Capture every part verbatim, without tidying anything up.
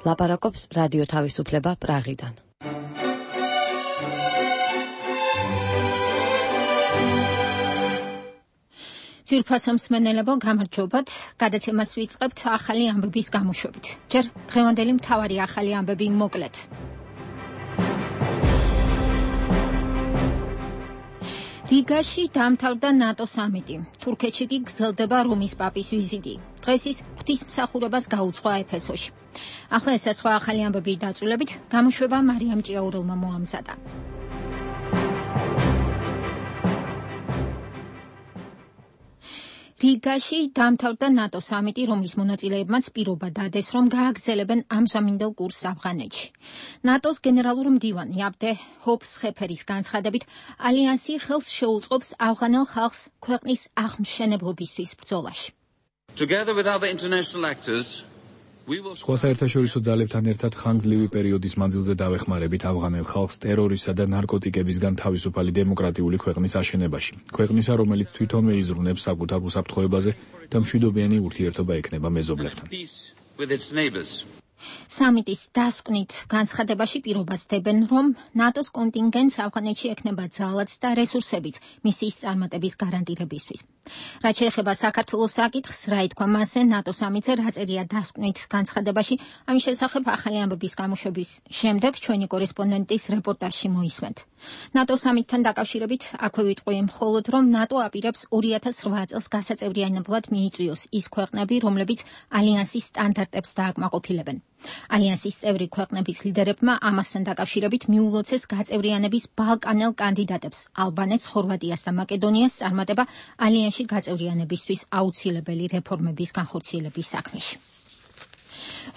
ლაპარაკობს რადიო თავისუფლება პრაღიდან. ძვირფასო მსმენელებო, გამარჯობათ. გადაცემას ვიწყებთ ახალი ამბების გამოშვებით. ჯერ დღევანდელი მთავარი ახალი ამბები მოკლედ. რიგაში დამთავრდა ნატო სამიტი. თურქეთში კი გრძელდება რომის პაპის ვიზიტი. დღეს ის ღვთისმსახურებას გაუძღვა ეფესოში. ახლა ეს სხვა ახალი ამბები დაწვრილებით, გამოშვება მარიამ ჭიაურელმა მოამზადა. რიგაში დამთავრდა ნატო სამიტი, რომლის მონაწილეებმაც პირობა დადეს, რომ გააგრძელებენ ამჟამინდელ კურსს ავღანეთში. ნატოს გენერალური მდივანი აბდე ჰოფსხეფერის განცხადებით, ალიანსი ხელს შეუწყობს ავღანელ ხალხს ქვეყნის აღმშენებლობისთვის ბრძოლაში. Together with other international actors, სხვა საერთაშორისო ძალებთან ერთად ხანგრძლივი პერიოდის მანძილზე დავეხმარებით ავღანელ ხალხს ტერორისა და ნარკოტიკებისგან თავისუფალი დემოკრატიული ქვეყნის აშენებაში. ქვეყნისა, რომელიც თვითონვე იზრუნებს საკუთარ უსაფრთხოებაზე და მშვიდობიანი ურთიერთობა ექნება მეზობლებთან. სამიტის დასკვნით განცხადებაში პირობას დებენ, რომ ნატოს კონტინგენტს ავღანეთში ექნება ძალაც და რესურსებიც მისიის წარმატების გარანტირებისთვის. რაც შეეხება საქართველოს საკითხს, რა ითქვა მასზე ნატო სამიტზე, რა წერია დასკვნით განცხადებაში, ამის შესახებ ახალი ამბების გამოშვების შემდეგ ჩვენი კორესპონდენტის რეპორტაჟში მოისმენთ. ნატო სამიტთან დაკავშირებით აქვე ვიტყვი მხოლოდ, რომ ნატო აპირებს ორი ათას რვა წელს გასაწევრიანებლად მიიწვიოს ის ქვეყნები, რომლებიც ალიანსის სტანდარტებს დააკმაყოფილებენ. ალიანსის წევრი ქვეყნების ლიდერებმა ამასთან დაკავშირებით მიულოცეს გაწევრიანების ბალკანელ კანდიდატებს, ალბანეთს, ხორვატიას და მაკედონიას წარმატება ალიანსში გაწევრიანებისთვის აუცილებელი რეფორმების განხორციელების საქმეში.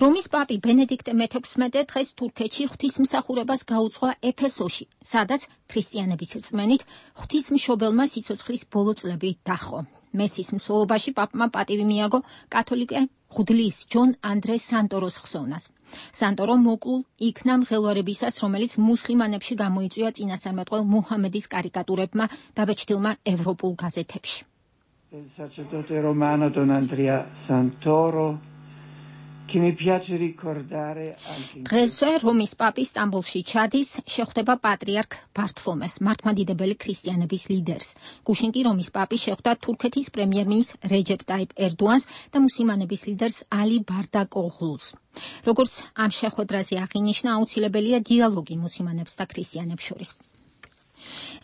რომის პაპი ბენედიქტე მეთექვსმეტე დღეს თურქეთში ღვთისმსახურებას გაუძღვა ეფესოში, სადაც ქრისტიანების რწმენით ღვთისმშობელმა სიცოცხლის ბოლო წლები დაჰყო. მესის მსვლელობაში პაპმა პატივი მიაგო კათოლიკე ღვთლის ჯონ ანდრე სანტოროს ხსოვნას. სანტორო მოკლულ იქნა მღელვარებისას, რომელიც მუსლიმანებში გამოიწვია წინასწარმეტყველ მუჰამედის კარიკატურებმა დაბეჭდილმა ევროპულ გაზეთებში. Sacerdote romano Don Andrea Santoro დღესვე რომის პაპი სტამბოლში ჩადის, შეხვდება პატრიარქ ბართლომეს, მართლმადიდებელი ქრისტიანების ლიდერს. გუშინ კი რომის პაპი შეხვდა თურქეთის პრემიერ-მინისტრ რეჯეპ ტაიპ ერდოანს და მუსლიმანების ლიდერს ალი ბარდაკოღლუს. როგორც ამ შეხვედრაზე აღინიშნა, აუცილებელია დიალოგი მუსლიმანებს და ქრისტიანებს შორის.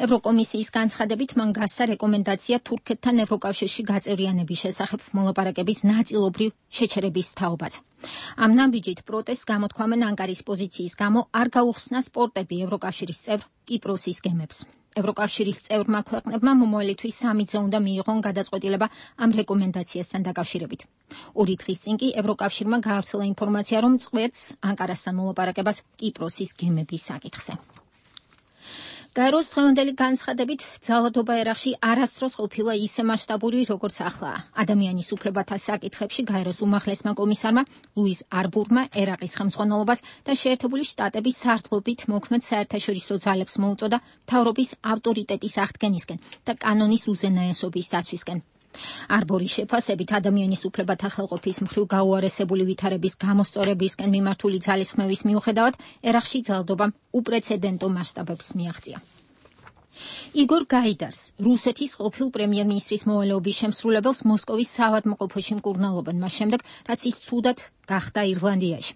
ევროკომისიის განცხადებით მან გასცა რეკომენდაცია თურქეთთან ევროკავშირში გაწევრიანების შესახებ მოლაპარაკების ნაწილობრივ შეჩერების თაობაზე. ამ ნაბიჯით პროტესტს გამოთქვამენ ანკარის პოზიციის გამო არ გაუხსნა სპორტები ევროკავშირის წევრ კიპროსის გემებს. ევროკავშირის წევრმა ქვეყნებმა მომავალი თვის სამიტზე უნდა მიიღონ გადაწყვეტილება ამ რეკომენდაციასთან დაკავშირებით. ორი დღის წინ კი ევროკავშირმა გაავრცელა ინფორმაცია, რომ წყვეტს ანკარასთან მოლაპარაკებას კიპროსის გემების საკითხზე. გაეროს დღევანდელი განცხადებით ძალადობა ერაყში არასდროს ყოფილა ისე მასშტაბური, როგორც ახლა. ადამიანის უფლებათა საკითხებში გაეროს უმაღლესმა კომისარმა ლუის არბურმა ერაყის ხელმძღვანელობას და შეერთებული შტატების სარდლობით მოქმედ საერთაშორისო ძალებს მოუწოდა მთავრობის ავტორიტეტის აღდგენისკენ და კანონის უზენაესობის დაცვისკენ. არბორის შეფასებით ადამიანის უფლებათა ხელყოფის მხრივ გაუარესებული ვითარების გამოსწორებისკენ მიმართული ძალისხმევის მიუხედავად ერაყში ძალადობამ უპრეცედენტო მასშტაბებს მიაღწია. იგორ გაიდარს, რუსეთის ყოფილ პრემიერ-მინისტრის მოვალეობის შემსრულებელს მოსკოვის საავადმყოფოში მკურნალობენ მას შემდეგ, რაც ის ცუდად გახდა ირლანდიაში.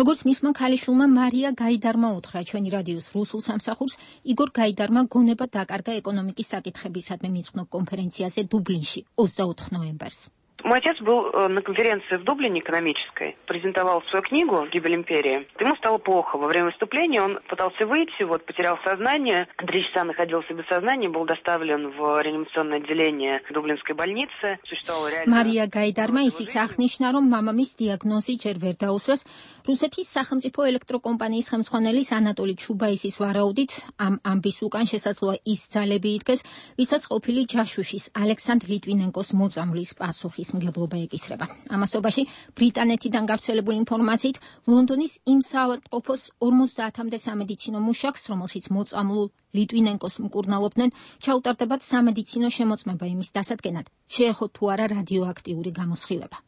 როგორც მისმა ქალიშვილმა მარია გაიდარმა უთხრა ჩვენი რადიოს რუსულ სამსახურს, იგორ გაიდარმა გონება დაკარგა ეკონომიკის საკითხებისადმი მიწყნო კონფერენციაზე დუბლინში ოცდაოთხ ნოემბერს. Мой отец был на конференции в Дублине экономической, презентовал свою книгу «Гибель империи». Ему стало плохо. Во время выступления он пытался выйти, вот, потерял сознание. Три часа находился без сознания, был доставлен в реанимационное отделение Дублинской больницы. Существовало реально... მარია გაიდარმა ისიც აღნიშნა, რომ მამამის დიაგნოზი ჯერ ვერ დაუსვეს. რუსეთის სახელმწიფო ელექტროკომპანიის ხელმძღვანელის ანატოლი ჩუბაისის ვარაუდით, ამ ამბის უკან შესაძლოა ის ძალები იდგეს, ვისაც ყოფილი ჯაშუშის ალექსანდრ ლიტვინენკოს მოწამვლის პასუხის მგებლობა ეკისრება. ამასობაში ბრიტანეთიდან გავრცელებული ინფორმაციით ლონდონის იმ საავადმყოფოს ორმოცდაათამდე სამედიცინო მუშაკს, რომელშიც მოწამლულ ლიტვინენკოს მკურნალობდნენ, ჩაუტარდებათ სამედიცინო შემოწმება იმის დასადგენად, შეეხო თუ არა რადიოაქტიური გამოსხივება.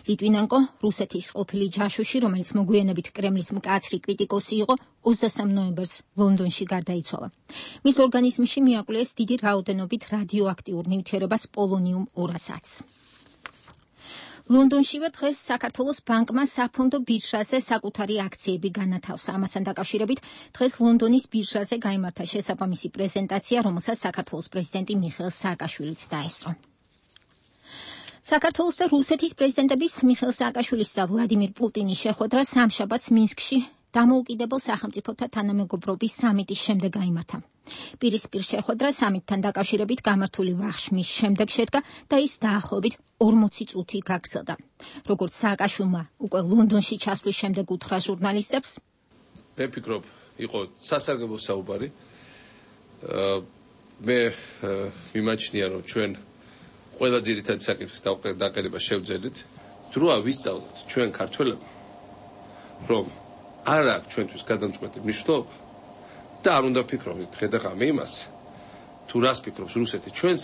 ლიტვინენკო, რუსეთის ყოფილი ჯაშუში, რომელიც მოგვიანებით კრემლის მკაცრი კრიტიკოსი იყო, ოცდასამ ნოემბერს ლონდონში გარდაიცვალა. მის ორგანიზმში მიაკვლეს დიდი რაოდენობით რადიოაქტიურ ნივთიერებას პოლონიუმ ორასაც. ლონდონშივე დღეს საქართველოს ბანკმა საფონდო ბირჟაზე საკუთარი აქციები განათავსა. ამასთან დაკავშირებით დღეს ლონდონის ბირჟაზე გაიმართა შესაბამისი პრეზენტაცია, რომელსაც საქართველოს პრეზიდენტი მიხეილ სააკაშვილიც დაესწრო. საქართველოს და რუსეთის პრეზიდენტების მიხეილ სააკაშვილის და ვლადიმირ პუტინის შეხვედრა სამშაბათს მინსკში დამოუკიდებელ სახელმწიფოთა თანამეგობრობის სამიტის შემდეგ გაიმართა. პირისპირ შეხვედრა სამიტთან დაკავშირებით გამართული ვახშმის შემდეგ შედგა და ის დაახლოებით ორმოცი წუთი გაგრძელდა. როგორც სააკაშვილმა უკვე ლონდონში ჩასვლის შემდეგ უთხრა ჟურნალისტებს, მე ვფიქრობ, იყო სასარგებლო საუბარი. მე მიმაჩნია, რომ ჩვენ ყველა ძირითადი საკითხის დაყენება შევძელით, დროა ვისწავლოთ ჩვენ ქართველებმა, რომ არ აქვს ჩვენთვის გადამწყვეტი მნიშვნელობა და არ უნდა ვფიქრობთ ხედაღამე იმას, თუ რას ფიქრობს რუსეთი ჩვენს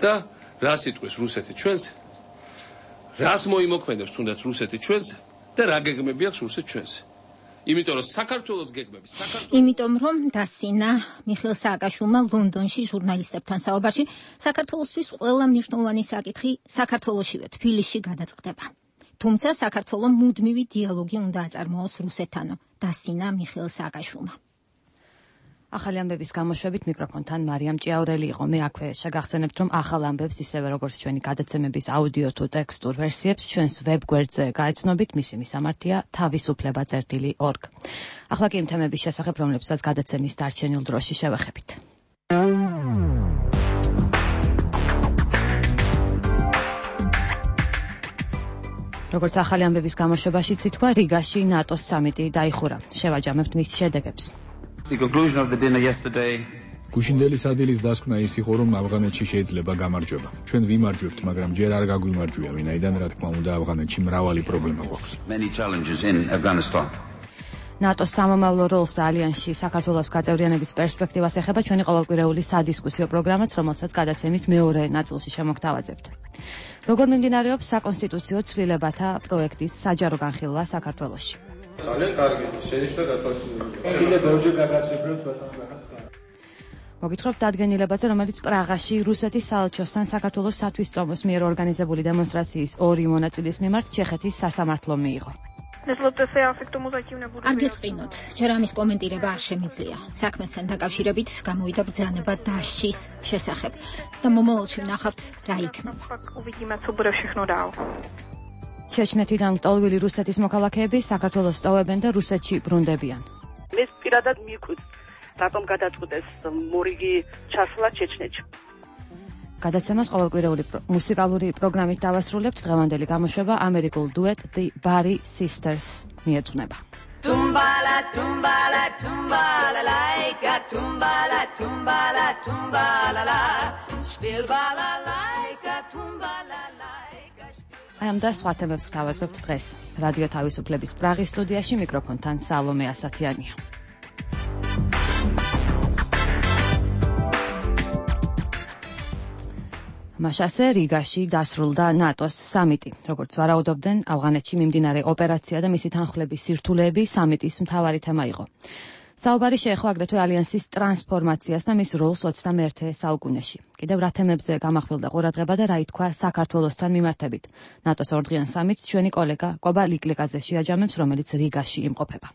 და რას იტყვის რუსეთი ჩვენს, რას მოიმოქმედებს თუნდაც რუსეთი ჩვენს და რა გეგმები აქვს რუსეთ ჩვენს. იმიტომ რომ საქართველოს გეგმები, საქართველოს იმიტომ რომ დასინა მიხეილ სააკაშვილმა ლონდონში ჟურნალისტებთან საუბარში, საქართველოსთვის ყველა მნიშვნელოვანი საკითხი საქართველოშივე თბილისში გადაწყდება. თუმცა საქართველოს მუდმივი დიალოგი უნდა აწარმოოს რუსეთთან, დასინა მიხეილ სააკაშვილმა. ახალი ამბების გამოშვებით მიკროფონთან მარიამ ჭიაურელი იყო. მე აქვე შეგახსენებთ, რომ ახალ ამბებს ისევე როგორც ჩვენი გადაცემების აუდიო თუ ტექსტურ ვერსიებს ჩვენს ვებგვერდზე გაეცნობით, მისი მისამართია თავისუფლება წერტილი ორგ. ახლა კი იმ თემების შესახებ, რომლებსაც გადაცემის დარჩენილ დროში შევეხებით. როგორც ახალი ამბების გამოშვებაშიც ითქვა, რიგაში ნატოს სამიტი დაიხურა. შევაჯამებთ მის შედეგებს. The conclusion of the dinner yesterday. გუშინდელი სადილის დასკვნა ის იყო, რომ ავღანეთში შეიძლება გამარჯვება. ჩვენ ვიმარჯვებთ, მაგრამ ჯერ არ გაგვიმარჯვია, ვინაიდან რა თქმა უნდა ავღანეთში მრავალი პრობლემა გვაქვს. Many challenges in Afghanistan. ნატოს სამომავლო როლს და ალიანსში საქართველოს გაწევრიანების პერსპექტივას ეხება ჩვენი ყოველკვირეული სადისკუსიო პროგრამაც, რომელსაც გადაცემის მეორე ნაწილში შემოგთავაზებთ. როგორ მიმდინარეობს საკონსტიტუციო ცვლილებათა პროექტის საჯარო განხილვა საქართველოში? ძალიან კარგი, შენიშნა გათვალისწინებული. კიდე ბევრჯერ გაგაცნობთ ბატონო. მოგითხრობთ დადგენილებაზე, რომელიც პრაღაში რუსეთის საელჩოსთან საქართველოს სათვისტომოს მიერ ორგანიზებული დემონსტრაციის ორი მონაწილის მიმართ ჩეხეთის სასამართლომ მიიღო. არ გეწყინოთ, ჯერ ამის კომენტირება არ შემიძლია. საქმესთან დაკავშირებით გამოვიდა ბრძანება დასჯის შესახებ და მომავალში ვნახავთ რა იქნება. ჩეჩნეთიდან მტოლვილი რუსეთის მოქალაქეები საქართველოს ტოვებენ და რუსეთში ბრუნდებიან. ეს პირადად მიკვით, რატომ გადაწყვეტეს მორიგი ჩასვლა ჩეჩნეთში. გადაცემას ყოველკვირეული მუსიკალური პროგრამით დავასრულებთ. დღევანდელი გამოშვება ამერიკულ დუეტ The Bari Sisters მიეძღვნება. Tumbala, tumbala, tumbala, laika, tumbala, tumbala, tumbala, la, spiel bala, laika, tumbala, laika. აი ამ და სხვა თემებს ვთავაზობთ დღეს. რადიო თავისუფლების პრაღის სტუდიაში მიკროფონთან სალომე ასათიანია. მაშასე რიგაში დასრულდა ნატოს სამიტი. როგორც ვარაუდობდნენ, ავღანეთში მიმდინარე ოპერაცია და მისი თანხლების სირთულეები სამიტის მთავარი თემა იყო. საუბარი შეეხო აგრეთვე ალიანსის ტრანსფორმაციას და მის როლს ოცდამეერთე საუკუნეში. კიდევ რა თემებზე გამახვილდა ყურადღება და რა ითქვა საქართველოსთან მიმართებით. ნატოს ორდღიან სამიტს ჩვენი კოლეგა კობა ლიკლიკაძე შეაჯამებს, რომელიც რიგაში იმყოფება.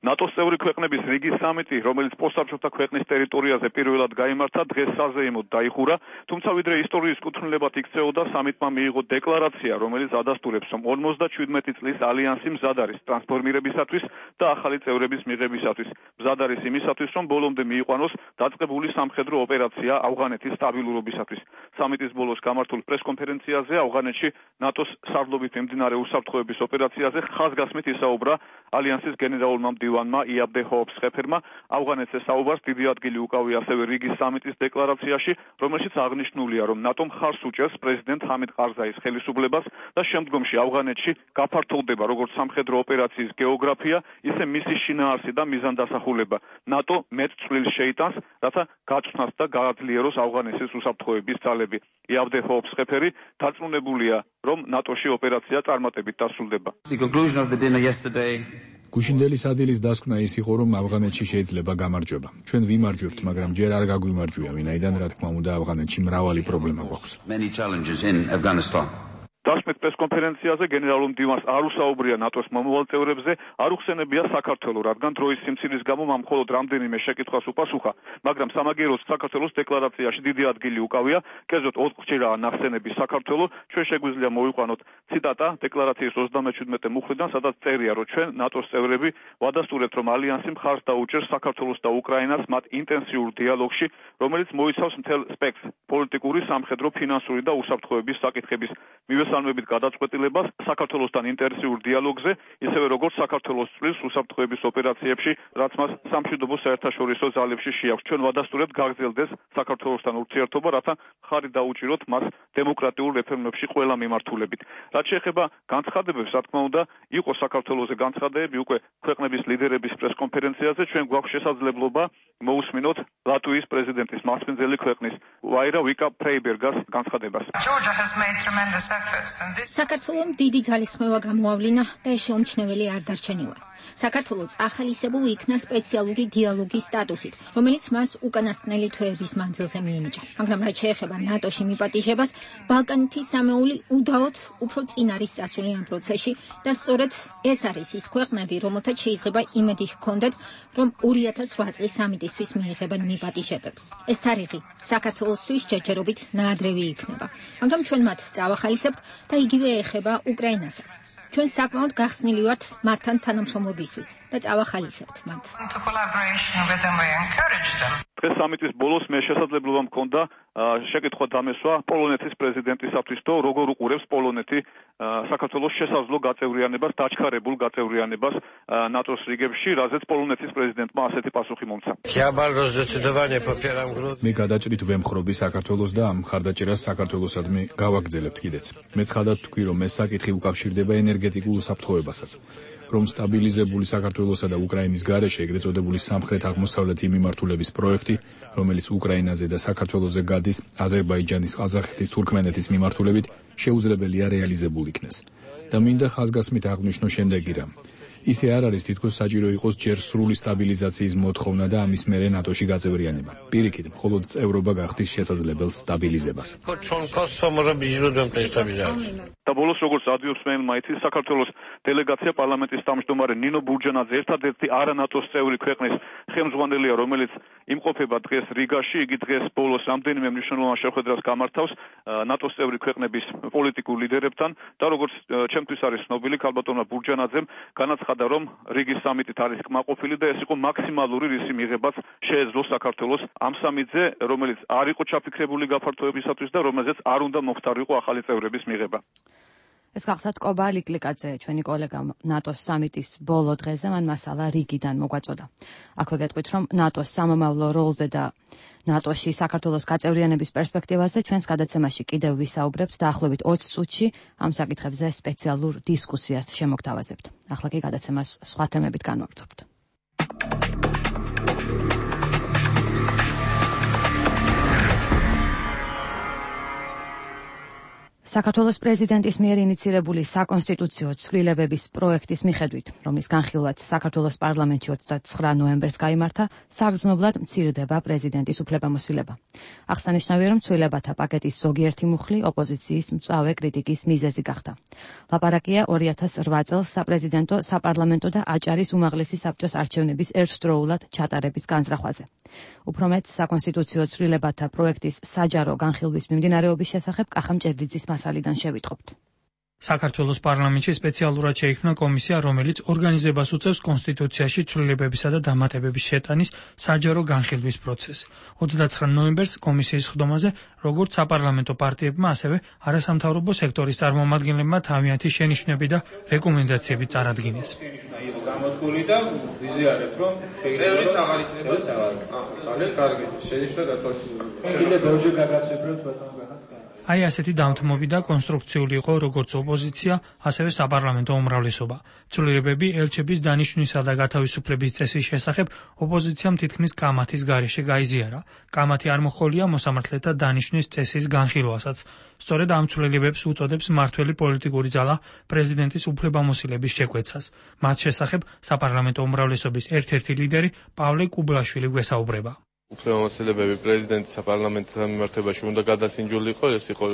ნატოს წევრი ქვეყნების რიგის სამიტი, რომელიც პოსტსაბჭოთა ქვეყნის ტერიტორიაზე პირველად გაიმართა, დღეს საზეიმოდ დაიხურა, თუმცა ვიდრე ისტორიის კუთვნილებად იქცეოდა, სამიტმა მიიღო დეკლარაცია, რომელიც ადასტურებს, რომ ორმოცდაჩვიდმეტი წლის ალიანსი მზად არის ტრანსფორმირებისათვის და ახალი წევრების მიღებისათვის. მზად არის იმისათვის, რომ ბოლომდე მიიყვანოს დაწყებული სამხედრო ოპერაცია ავღანეთის სტაბილურობისათვის. სამიტის ბოლოს გამართულ პრესკონფერენციაზე ავღანეთში ნატოს სარდლობით მიმდინარე უსაფრთხოების ოპერაციაზე ხაზგასმით ისაუბრა ალიანსის გენერალურმა მდივანმა მდივანმა იაბდე ჰოოფსხეფერმა ავღანეთზე საუბარს დიდი ადგილი უკავია ასევე რიგის სამიტის დეკლარაციაში, რომელშიც აღნიშნულია, რომ ნატო მხარს უჭერს პრეზიდენტ ჰამიდ ყარზაის ხელისუფლებას და შემდგომში ავღანეთში გაფართოვდება როგორც სამხედრო ოპერაციის გეოგრაფია, ისე მისი შინაარსი და მიზანდასახულება. ნატო მეტ წვლილს შეიტანს, რათა გაწვნას და გააძლიეროს ავღანეთის უსაფრთხოების ძალები. იაბდე ჰოოფსხეფერი დარწმუნებულია, რომ ნატოში ოპერაცია წარმატებით დასრულდება. გუშინდელის ადილის დასკვნა ის იყო, რომ ავღანეთში შეიძლება გამარჯვება. ჩვენ ვიმარჯვებთ, მაგრამ ჯერ არ გაგვიმარჯვია, ვინაიდან რა თქმა უნდა ავღანეთში მრავალი პრობლემა გვაქვს. დასმით პრესკონფერენციაზე გენერალურ მდივანს არ უსაუბრია ნატოს მომავალ წევრებზე, არ უხსენებია საქართველოს, რადგან დროის სიმცირის გამო მან მხოლოდ რამდენიმე შეკითხვას უპასუხა, მაგრამ სამაგიეროდ საქართველოს დეკლარაციაში დიდი ადგილი უკავია, კერძოდ ოთხჯერაა ნახსენები საქართველო, ჩვენ შეგვიძლია მოვიყვანოთ ციტატა დეკლარაციის ოცდამეჩვიდმეტე მუხლიდან, სადაც წერია, რომ ჩვენ ნატოს წევრები ვადასტურებთ, რომ ალიანსი მხარს დაუჭერს საქართველოს და უკრაინას მათ ინტენსიურ დიალოგში, რომელიც მოიცავს მთელ სპექტრს პოლიტიკური, სამხედრო, ფინანსური და უსაფრთხოების საკითხების მივესალმებით გადაწყვეტილებას საქართველოსთან ინტენსიურ დიალოგზე, ისევე როგორც საქართველოს წვლილს უსაფრთხოების ოპერაციებში, რაც მას სამშვიდობო საერთაშორისო ძალებში შეაქვს. ჩვენ ვადასტურებთ გაგრძელდეს საქართველოსთან ურთიერთობა, რათა ხარი დაუჭიროთ მას დემოკრატიულ რეფორმებში ყველა მიმართულებით. რაც შეეხება განცხადებებს, რა თქმა უნდა, იყო საქართველოზე განცხადებები უკვე ქვეყნების ლიდერების პრესკონფერენციაზე, ჩვენ გვაქვს შესაძლებლობა მოусმინოთ ლატვიის პრეზიდენტის მასპინძელი ქვეყნის ვაირა ვიკა ფრეიბერგას განცხადებას. საქართველომ დიდი ძალისხმევა გამოავლინა და ეს შეუმჩნეველი არ დარჩენილა. საქართველოს ახალისებულ იქნა სპეციალური დიალოგის სტატუსით, რომელიც მას უკანასკნელი თვეების მანძილზე მიენიჭა. მაგრამ რაც შეეხება ნატოში მიპატიჟებას, ბალკანეთის სამეული უდაოდ უფრო წინ არის წასული ამ პროცესში და სწორედ ეს არის ის ქვეყნები, რომელთაც შეიძლება იმედი ჰქონდეთ, რომ ორი ათას რვა წლის სამიტისთვის მიიღებენ მიპატიჟებებს. ეს თარიღი საქართველოსთვის ჯერჯერობით ნაადრევი იქნება, მაგრამ ჩვენ მათ წავახალისებთ და იგივე ეხება უკრაინასაც. ჩვენ საკმაოდ გახსნილი ვართ მათთან თანამშრომლობისთვის და წავახალისებთ მათ. დღეს სამიტის ბოლოს მე შესაძლებლობა მქონდა შეკითხვა დამესვა პოლონეთის პრეზიდენტისათვის, თუ როგორ უყურებს პოლონეთი საქართველოს შესაძლო გაწევრიანებას, დაჩქარებულ გაწევრიანებას ნატოს რიგებში, რაზეც პოლონეთის პრეზიდენტმა ასეთი პასუხი მომცა. მე გადაჭრით ვემხრობი საქართველოს და ამ მხარდაჭერას საქართველოსადმი გავაგრძელებთ კიდეც. მე ცხადად თქვი, რომ ეს საკითხი უკავშირდება ენერგეტიკულ უსაფრთხოებასაც. რომ სტაბილიზებული საქართველოსა და უკრაინის გარეშე ეგრეთ წოდებული სამხრეთ-აღმოსავლეთი მიმართულების პროექტი, რომელიც უკრაინაზე და საქართველოზე გადის აზერბაიჯანის, ყაზახეთის, თურქმენეთის მიმართულებით, შეუძლებელია რეალიზებულ იქნეს. და მინდა ხაზგასმით აღვნიშნო შემდეგი რამ. ისე არ არის თითქოს საჭირო იყოს ჯერ სრული სტაბილიზაციის მოთხოვნა და ამის მერე ნატოში გაწევრიანება. პირიქით, მხოლოდ წევრობა გახდის შესაძლებელს სტაბილიზებას. და ბოლოს როგორც ადვიობს მე მაითის საქართველოს დელეგაცია პარლამენტის თავმჯდომარე ნინო ბურჯანაძე ერთადერთი არა ნატოს წევრი ქვეყნის ხელმძღვანელია, რომელიც იმყოფება დღეს რიგაში. იგი დღეს ბოლოს რამდენიმე მნიშვნელოვან შეხვედრას გამართავს ნატოს წევრი ქვეყნების პოლიტიკურ ლიდერებთან და როგორც ჩემთვის არის ცნობილი, ქალბატონმა ბურჯანაძემ განაცხადა, რომ რიგის სამიტით არის კმაყოფილი და ეს იყო მაქსიმალური რისი მიღებაც შეეძლო საქართველოს ამ სამიტზე, რომელიც არ იყო ჩაფიქრებული გაფართოებისათვის და რომელზეც არ უნდა მოხდარიყო ახალი წევრების მიღება. ეს გახდა ტკობა ლიკლიკაძე, ჩვენი კოლეგა ნატოს სამიტის ბოლო დღეზე, მან მასალა რიგიდან მოგვაწოდა. აქვე გეტყვით, რომ ნატოს სამომავლო როლზე და ნატოში საქართველოს გაწევრიანების პერსპექტივაზე ჩვენს გადაცემაში კიდევ ვისაუბრებთ დაახლოებით ოცი წუთში ამ საკითხებზე სპეციალურ დისკუსიას შემოგთავაზებთ. ახლა კი გადაცემას სხვა თემებით განვაგრძობთ. საქართველოს პრეზიდენტის მიერ ინიცირებული საკონსტიტუციო ცვლილებების პროექტის მიხედვით, რომლის განხილვაც საქართველოს პარლამენტში ოცდაცხრა ნოემბერს გაიმართა, საგრძნობლად მცირდება პრეზიდენტის უფლებამოსილება. აღსანიშნავია, რომ ცვლილებათა პაკეტის ზოგიერთი მუხლი ოპოზიციის მწვავე კრიტიკის მიზეზი გახდა. ლაპარაკია ორი ათას რვა წელს საპრეზიდენტო, საპარლამენტო და აჭარის უმაღლესი საბჭოს არჩევნების ერთდროულად ჩატარების განზრახვაზე. უფრო მეტ, საკონსტიტუციო ცვლილებათა პროექტის საჯარო განხილვის მიმდინარეობის შესახებ კახა მჭედლიძის მასალიდან შევიტყობთ. საქართველოს პარლამენტში სპეციალურად შეიქმნა კომისია, რომელიც ორგანიზებას უწევს კონსტიტუციაში ცვლილებებისა და დამატებების შეტანის საჯარო განხილვის პროცესს. ოცდაცხრა ნოემბერს კომისიის ხდომაზე როგორც საპარლამენტო პარტიებმა, ასევე არასამთავრობო სექტორის წარმომადგენლებმა თავიანთი შენიშვნები და რეკომენდაციები წარადგინეს. გამოთვლილი და ვიზიარებთ, რომ წევრიც აღარ იქნება ძალიან. აა, ძალიან კარგი. შენიშვნა გათვალისწინებული. კიდე ბევრჯერ გაგაცებროთ ბატონო გახართ. აი ასეთი დამთმობი და კონსტრუქციული იყო როგორც ოპოზიცია, ასევე საპარლამენტო უმრავლესობა. ცვლილებები ელჩების დანიშვნისა და გათავისუფლების წესის შესახებ ოპოზიციამ თითქმის კამათის გარეშე გაიზიარა. კამათი არ მოჰყოლია მოსამართლეთა დანიშვნის წესის განხილვასაც. სწორედ ამ ცვლილებებს უწოდებს მმართველი პოლიტიკური ძალა პრეზიდენტის უფლებამოსილების შეკვეცას. მათ შესახებ საპარლამენტო უმრავლესობის ერთ-ერთი ლიდერი პავლე კუბლაშვილი გვესაუბრება. უფლებამოსილებები პრეზიდენტის საპარლამენტო მიმართებაში უნდა გადასინჯულიყო. ეს იყო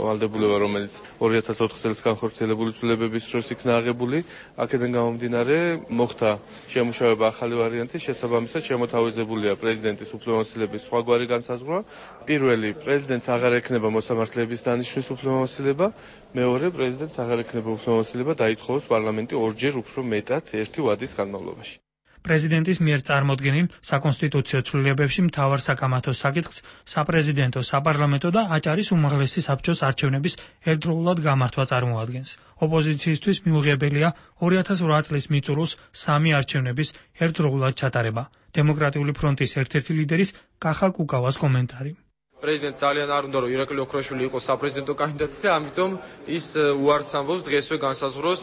ვალდებულება, რომელიც ორი ათას ოთხ წელს განხორციელებული ცვლილებების დროს იქნა აღებული. აქედან გამომდინარე, მოხდა შემუშავება ახალი ვარიანტის, შესაბამისად შემოთავაზებულია პრეზიდენტის უფლებამოსილების სხვაგვარი განსაზღვრა. პირველი, პრეზიდენტს აღარ ექნება მოსამართლეების დანიშვნის უფლებამოსილება. მეორე, პრეზიდენტს აღარ ექნება უფლებამოსილება დაითხოვოს პარლამენტი ორჯერ უფრო მეტად ერთი ვადის განმავლობაში. პრეზიდენტის მიერ წარმოდგენილ საკონსტიტუციო ცვლილებებში მთავარ საკამათო საკითხს საპრეზიდენტო, საპარლამენტო და აჭარის უმაღლესი საბჭოს არჩევნების ერთდროულად გამართვა წარმოადგენს. ოპოზიციისთვის მიუღებელია ორი ათას ორი წლის მიწურულს სამი არჩევნების ერთდროულად ჩატარება. დემოკრატიული ფრონტის ერთ-ერთი ლიდერის კახა კუკავას კომენტარი. პრეზიდენტს ძალიან არ უნდა, რომ ირაკლი ოქროშვილი იყოს საპრეზიდენტო კანდიდატი და ამიტომ ის უარს ამბობს დღესვე განსაზღვროს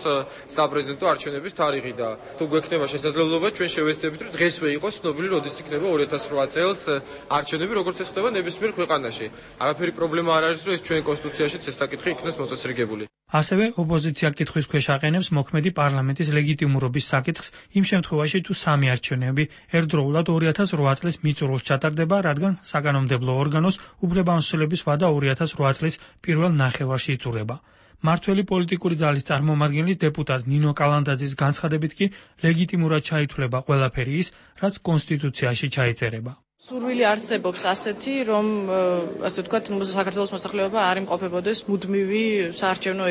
საპრეზიდენტო არჩევნების თარიღი და თუ გვექნება შესაძლებლობა ჩვენ შევეცდებით, რომ დღესვე იყოს ცნობილი, როდის იქნება ორი ათას ორი წელს არჩევნები, როგორც ეს ხდება ნებისმიერ ქვეყანაში. არაფერი პრობლემა არ არის, რომ ეს ჩვენ კონსტიტუციაშიც ეს საკითხი იქნას მოწესრიგებული. ასევე ოპოზიცია კითხვის ქვეშ აყენებს მოქმედი პარლამენტის ლეგიტიმურობის საკითხს იმ შემთხვევაში, თუ სამი არჩევნები ერთდროულად ორი ათას ორი წლის მიწურულს ჩატარდება, რადგან საკანონმდებლო ორგანოს უფლებამოსილების ვადა ორი ათას ორი წლის პირველ ნახევარში იწურება. მმართველი პოლიტიკური ძალის წარმომადგენლის დეპუტატ ნინო კალანდაძის განცხადებით კი ლეგიტიმურად ჩაითვლება ყველაფერი ის, რაც კონსტიტუციაში ჩაიწერება. სურვილი არსებობს ასეთი, რომ ასე ვთქვათ, საქართველოს მოსახლეობა არ იმყოფებოდეს მუდმივი საარჩევნო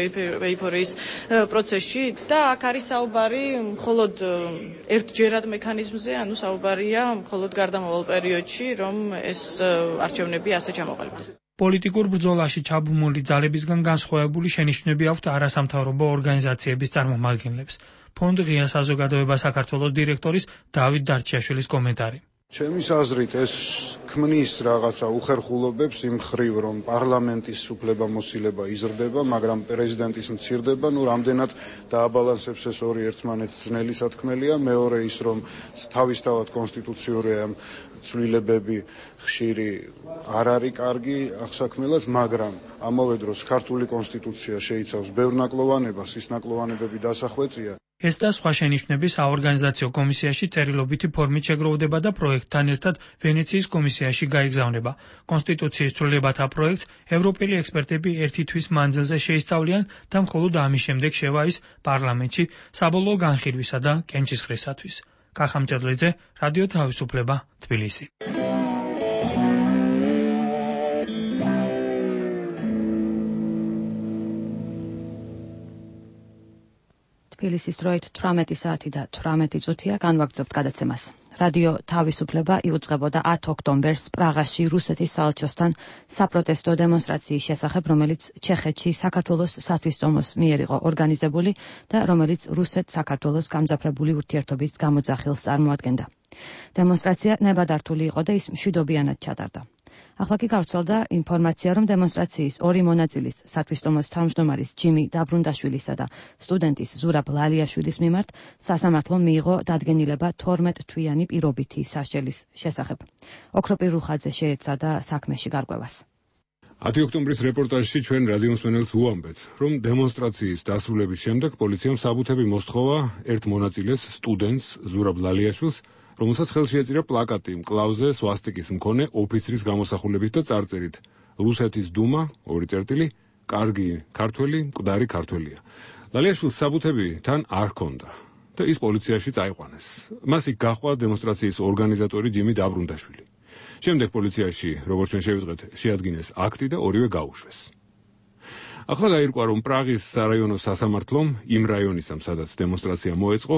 ეიფორიის პროცესში და აქ არის საუბარი მხოლოდ ერთჯერად მექანიზმზე, ანუ საუბარია მხოლოდ გარდამავალ პერიოდში, რომ ეს არჩევნები ასე ჩამოყალიბდეს. პოლიტიკურ ბრძოლაში ჩაბმული ძალებისგან განსხვავებული შენიშვნები აქვთ არასამთავრობო ორგანიზაციების წარმომადგენლებს. ფონდ ღია საზოგადოება საქართველოს დირექტორის დავით დარჩიაშვილის კომენტარი. ჩემის აზრით ეს ქმნის რაღაცა უხერხულობებს იმ ხრივ, რომ პარლამენტის უფლებამოსილება იზრდება, მაგრამ პრეზიდენტის მცირდება, ნუ რამდენად დააბალანსებს ეს ორი ერთმანეთს ძნელი სათქმელია. მეორე ის, რომ თავისთავად კონსტიტუციური ცვლილებები ხშირი არ არის კარგი აღსაქმელად, მაგრამ ამავე დროს ქართული კონსტიტუცია შეიცავს ბევრ ნაკლოვანებას, ის ნაკლოვანებები დასახვეწია. ეს და სხვა შენიშვნები საორგანიზაციო კომისიაში წერილობითი ფორმით შეგროვდება და პროექტთან ერთად ვენეციის კომისიაში გაიგზავნება. კონსტიტუციის ცვლილებათა პროექტს ევროპელი ექსპერტები ერთი თვის მანძილზე შეისწავლიან და მხოლოდ ამის შემდეგ შევა ის პარლამენტში საბოლოო განხილვისა და კენჭისყრისათვის. კახა მჭედლიძე, რადიო თავისუფლება, თბილისი. თბილისის დროით თვრამეტი საათი და თვრამეტი წუთია, განვაგრძობთ გადაცემას. რადიო თავისუფლება იუწყებოდა ათი ოქტომბერს პრაღაში რუსეთის საელჩოსთან საპროტესტო დემონსტრაციის შესახებ, რომელიც ჩეხეთში საქართველოს სათვისტომოს მიერ იყო ორგანიზებული და რომელიც რუსეთ-საქართველოს გამძაფრებული ურთიერთობის გამოძახილს წარმოადგენდა. დემონსტრაცია ნებადართული იყო და ის მშვიდობიანად ჩატარდა. ახლა კი გავრცელდა ინფორმაცია, რომ დემონსტრაციის ორი მონაწილის, სათვისტომოს თავმჯდომარის ჯიმი დაბრუნდაშვილისა და სტუდენტის ზურაბ ლალიაშვილის მიმართ სასამართლომ მიიღო დადგენილება თორმეტ თვიანი პირობითი სასჯელის შესახებ. ოქროპირ რუხაძე შეეცადა საქმეში გარკვევას. ათი ოქტომბრის რეპორტაჟში ჩვენ რადიო მსმენელს უამბეთ, რომ დემონსტრაციის დასრულების შემდეგ პოლიციამ საბუთები მოსთხოვა ერთ მონაწილეს, სტუდენტს ზურაბ ლალიაშვილს, რომელსაც ხელში ეწირა პლაკატი მკლავზე სვასტიკის მქონე ოფიცრის გამოსახულებით და წარწერით რუსეთის დუმა, ორი წერტილი, კარგი ქართველი, მკვდარი ქართველია. ლალიაშვილს საბუთები თან არ ჰქონდა და ის პოლიციაში წაიყვანეს. მას იქ გაჰყვა დემონსტრაციის ორგანიზატორი ჯიმი დაბრუნდაშვილი. შემდეგ პოლიციაში, როგორც ჩვენ შევიტყვეთ, შეადგინეს აქტი და ორივე გაუშვეს. ახლა გაირკვა, რომ პრაღის სარაიონო სასამართლომ იმ რაიონისამ, სადაც დემონსტრაცია მოეწყო,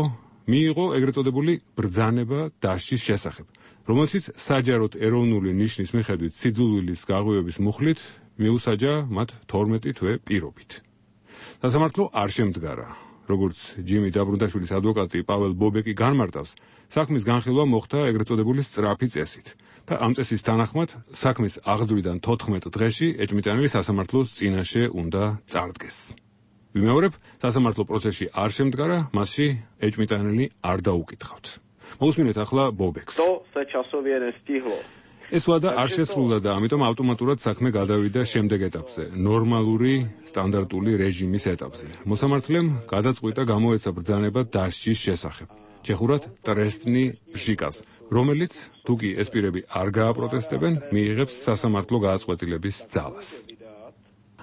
მიიღო ეგრეთ წოდებული ბრძანება დასჯის შესახებ, რომელშიც საჯაროდ ეროვნული ნიშნის მიხედვით სიძულვილის გაღვივების მუხლით მიუსაჯა მათ თორმეტი თვე პირობით. სასამართლო არ შემდგარა. როგორც ჯიმი დაბრუნდაშვილის ადვოკატი პაվել ბობეკი განმარტავს, საქმის განხილვა მოხდა ეგრეთ წოდებული სწრაფი წესით და ამ წესის თანახმად საქმის აღძვრიდან თოთხმეტ დღეში ეჭვმიტანილი სასამართლოს წინაშე უნდა წარდგეს. ვიმეორებ, სასამართლო პროცესში არ შემდგარა, მასში ეჭვმიტანილი არ დაუკითხავთ. მოусმინეთ ახლა ბობეკს. ეს ვადა არ შესრულდა და ამიტომ ავტომატურად საქმე გადავიდა შემდეგ ეტაპზე, ნორმალური სტანდარტული რეჟიმის ეტაპზე. მოსამართლემ გადაწყვიტა გამოეცა ბრძანება დასჯის შესახებ. ჩეხურად ტრესტნი ბჟიკას, რომელიც თუ კი ეს პირები არ გააპროტესტებენ, მიიღებს სასამართლო გააწყვეტილების ძალას.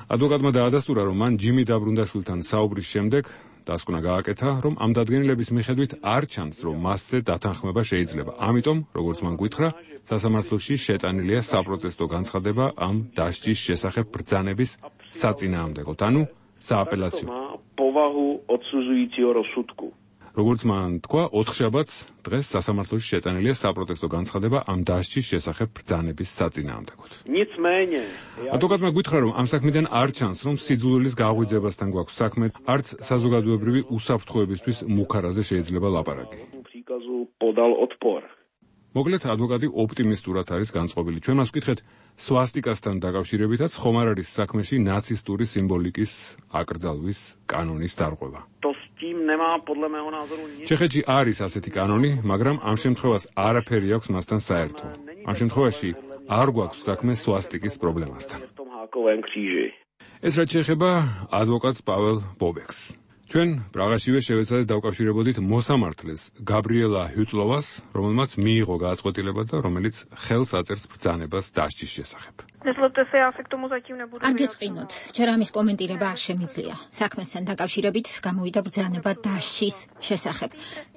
ადვოკატმა დაადასტურა, რომ მან ჯიმი დაბრუნდაშვილთან საუბრის შემდეგ დასკვნა გააკეთა, რომ ამ დადგენილების მიხედვით არ ჩანს, რომ მასზე დათანხმება შეიძლება. ამიტომ, როგორც მან გითხრა, სასამართლოში შეტანილია საპროტესტო განცხადება ამ დასჯის შესახებ ბრძანების საწინააღმდეგოდ, ანუ სააპელაციო. როგორც მან თქვა, ოთხშაბათს დღეს სასამართლოში შეტანილია საპროტესტო განცხადება ამ დასჯის შესახებ ბრძანების საწინააღმდეგოდ. ადვოკატმა გითხრა, რომ ამ საქმიდან არ ჩანს, რომ სიძულვილის გაღვიძებასთან გვაქვს საქმე, არც საზოგადოებრივი უსაფრთხოებისთვის მუქარაზე შეიძლება ლაპარაკი. მოკლედ, ადვოკატი ოპტიმისტურად არის განწყობილი. ჩვენ მას ვკითხეთ, სვასტიკასთან დაკავშირებითაც ხომ არ არის საქმეში ნაცისტური სიმბოლიკის აკრძალვის კანონის დარღვევა. ჩეხეთში არის ასეთი კანონი, მაგრამ ამ შემთხვევას არაფერი აქვს მასთან საერთო. ამ შემთხვევაში არ გვაქვს საქმე სვასტიკის პრობლემასთან. ეს რაც შეეხება ადვოკატს პაվել ბობეკს. ჩვენ პრაღაშივე შევეცადეთ დავკავშირებოდით მოსამართლეს გაბრიელა ჰიუტლოვას, რომელმაც მიიღო გააწყვეტილება და რომელიც ხელს აწერს ბრძანებას დასჯის შესახებ. არ გეწყინოთ, ჯერ ამის კომენტირება არ შემიძლია. საქმესთან დაკავშირებით გამოვიდა ბრძანება დასჯის შესახებ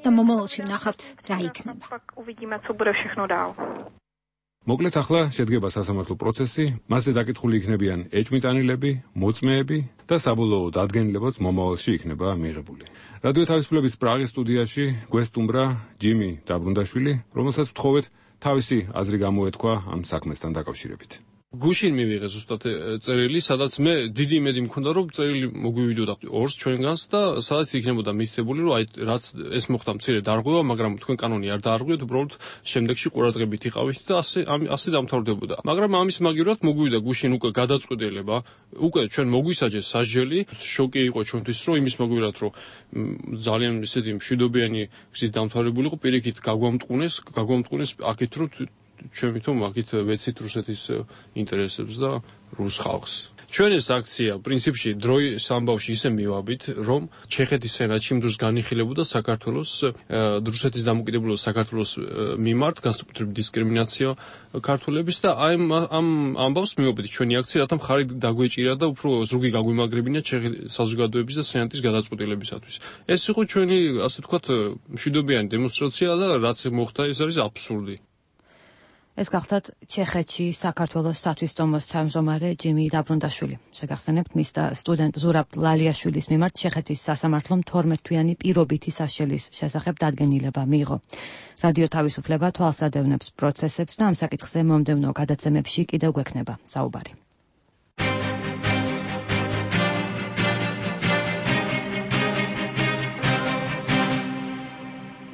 და მომავალში ვნახავთ რა იქნება. მოკლედ ახლა შედგება სასამართლო პროცესი, მასზე დაკითხული იქნებიან ეჭვმიტანილები, მოწმეები და საბოლოო დადგენილებაც მომავალში იქნება მიღებული. რადიო თავისუფლების პრაღის სტუდიაში გვესტუმრა ჯიმი დაბრუნდაშვილი, რომელსაც ვთხოვეთ თავისი აზრი გამოეთქვა ამ საქმესთან დაკავშირებით. გუშინ მივიღე ზუსტად წერილი, სადაც მე დიდი იმედი მქონდა, რომ წერილი მოგვივიდოდა ორს ჩვენგანს და სადაც იქნებოდა მითითებული, რომ აი რაც ეს მოხდა მცირე დარღვევა, მაგრამ თქვენ კანონი არ დაარღვიეთ, უბრალოდ შემდეგში ყურადღებით იყავით და ასე ასე დამთავრდებოდა. მაგრამ ამის მაგივრად მოგვივიდა გუშინ უკვე გადაწყვეტილება, უკვე ჩვენ მოგვისაჯეს სასჯელი, შოკი იყო ჩვენთვის, რომ იმის მაგივრად, რომ ძალიან ისეთი მშვიდობიანი გზით დამთავრებული იყო, პირიქით გაგვამტყუნეს, გაგვამტყუნეს აქეთ რომ ჩვენ ვითომ აქეთ ვეცით რუსეთის ინტერესებს და რუს ხალხს. ჩვენ ეს აქცია პრინციპში დროის ამბავში ისე მივაბით, რომ ჩეხეთის სენატში იმ დროს განიხილებოდა საქართველოს რუსეთის დამოუკიდებლობის საქართველოს მიმართ განსაკუთრებით დისკრიმინაცია ქართველების და აი ამ ამბავს მივაბით ჩვენი აქცია, რათა მხარი დაგვეჭირა და უფრო ზრუგი გაგვიმაგრებინა ჩეხეთის საზოგადოების და სენატის გადაწყვეტილებისათვის. ეს იყო ჩვენი, ასე ვთქვათ, მშვიდობიანი დემონსტრაცია და რაც მოხდა, ეს არის აბსურდი. ეს გახდათ ჩეხეთში საქართველოს სათვისტომოს თავმჯდომარე ჯიმი დაბრუნდაშვილი. შეგახსენებთ, მის და სტუდენტ ზურაბ ლალიაშვილის მიმართ ჩეხეთის სასამართლომ თორმეტ თვიანი პირობითი სასჯელის შესახებ დადგენილება მიიღო. რადიო თავისუფლება თვალს ადევნებს პროცესებს და ამ საკითხზე მომდევნო გადაცემებში კიდევ გვექნება საუბარი.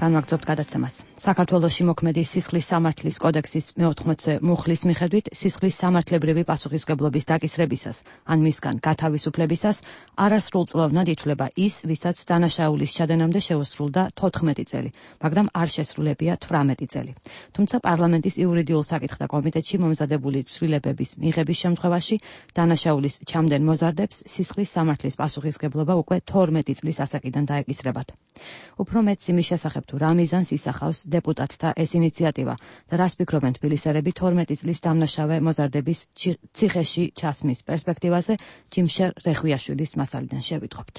განვაგრძობთ გადაცემას. საქართველოში მოქმედი სისხლის სამართლის კოდექსის მეოთხმოცე მუხლის მიხედვით სისხლის სამართლებრივი პასუხისმგებლობის დაკისრებისას ან მისგან გათავისუფლებისას არასრულწლოვნად ითვლება ის, ვისაც დანაშაულის ჩადენამდე შეუსრულდა თოთხმეტი წელი, მაგრამ არ შესრულებია თვრამეტი წელი. თუმცა პარლამენტის იურიდიულ საკითხთა კომიტეტში მომზადებული ცვლილებების მიღების შემთხვევაში დანაშაულის ჩამდენ მოზარდებს სისხლის სამართლის პასუხისმგებლობა უკვე თორმეტი წლის ასაკიდან დაეკისრებათ. უფრო მეტს იმის შესახებ თუ რა მიზანს ისახავს დეპუტატთა ეს ინიციატივა და რას ფიქრობენ თბილისელები თორმეტი წლის დამნაშავე მოზარდების ციხეში ჩასმის პერსპექტივაზე ჯიმშერ რეხვიაშვილის მასალიდან შევიტყობთ.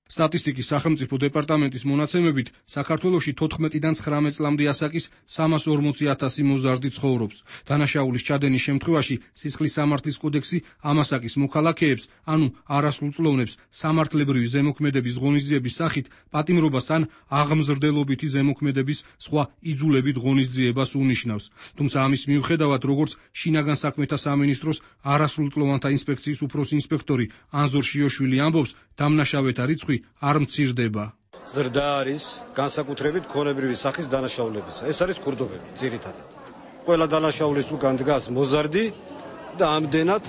სტატისტიკის სახელმწიფო დეპარტამენტის მონაცემებით, საქართველოში თოთხმეტიდან ცხრამეტ წლამდე ასაკის სამას ორმოცი ათასი მოზარდი ცხოვრობს. დანაშაულის ჩადენის შემთხვევაში სისხლის სამართლის კოდექსი ამ ასაკის მოქალაქეებს, ანუ არასრულწლოვნებს, სამართლებრივი ზემოქმედების ღონისძიების სახით პატიმრობას ან აღმზრდელობითი ზემოქმედების სხვა იძულებით ღონისძიებას უნიშნავს. თუმცა ამის მიუხედავად, როგორც შინაგან საქმეთა სამინისტროს არასრულწლოვანთა ინსპექციის უფროსი ინსპექტორი ანზორ შიოშვილი ამბობს, დამნაშავეთა რიცხვი არ მცირდება. ზრდა არის განსაკუთრებით ქონებრივი სახის დანაშაულებისა. ეს არის ქურდობები ძირითადად. ყველა დანაშაულის უკან დგას მოზარდი და ამდენად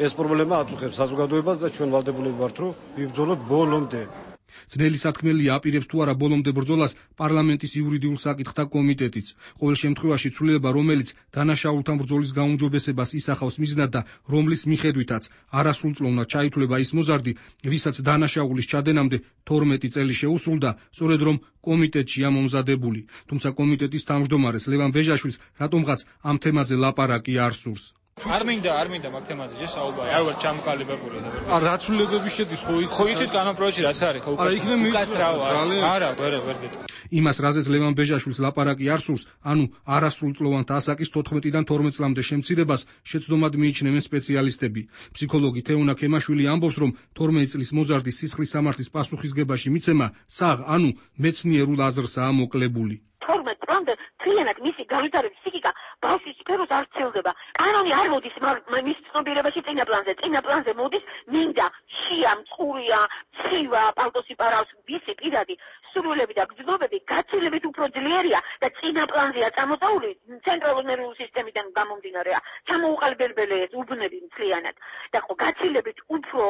ეს პრობლემა აწუხებს საზოგადოებას და ჩვენ ვალდებულები ვართ, რომ ვიბრძოლოთ ბოლომდე. ძნელი სათქმელია აპირებს თუ არა ბოლომდე ბრძოლას პარლამენტის იურიდიულ საკითხთა კომიტეტიც. ყოველ შემთხვევაში ცვლილება, რომელიც დანაშაულთან ბრძოლის გაუმჯობესებას ისახავს მიზნად და რომლის მიხედვითაც არასრულწლოვნად ჩაითვლება ის მოზარდი, ვისაც დანაშაულის ჩადენამდე თორმეტი წელი შეუსრულდა, სწორედ რომ კომიტეტშია მომზადებული. თუმცა კომიტეტის თავმჯდომარეს ლევან ბეჟაშვილს რატომღაც ამ თემაზე ლაპარაკი არ სურს. არ მინდა, არ მინდა მაგ თემაზე შესაუბარი. არ ვარ ჩამოყალიბებული. არ რა ცვლილებები შედის ხო იცით? ხო იცით განმროჩი რაც არის, ხო უკაცრავ არის. არა, ვერ ვერ გეტყვი. იმას, რაზეც ლევან ბეჟაშვილს ლაპარაკი არ სურს, ანუ არასრულწლოვანთა ასაკის თოთხმეტიდან თორმეტ წლამდე შემცირებას შეცდომად მიიჩნევენ სპეციალისტები. ფსიქოლოგი თეუნა ქემაშვილი ამბობს, რომ თორმეტ წლის მოზარდის სისხლის სამართლის პასუხისგებაში მიცემა საღ, ანუ მეცნიერულ აზრსაა მოკლებული. თორმეტ წლამდე თლიანად მისი განვითარების ფსიქიკა ბავშვის სფეროს არ ცელდება. კანონი არ მოდის მის ცნობიერებაში წინა პლანზე. წინა პლანზე მოდის მინდა, შია, მწყურია, ცივა, პალტოსი პარავს, ვისი პირადი სურვილები და გრძნობები გაცილებით უფრო ძლიერია და წინა პლანზეა წამოწეული ცენტრალური ნერვული სისტემიდან გამომდინარეა. ჩამოუყალიბებელი უბნები მთლიანად და ხო გაცილებით უფრო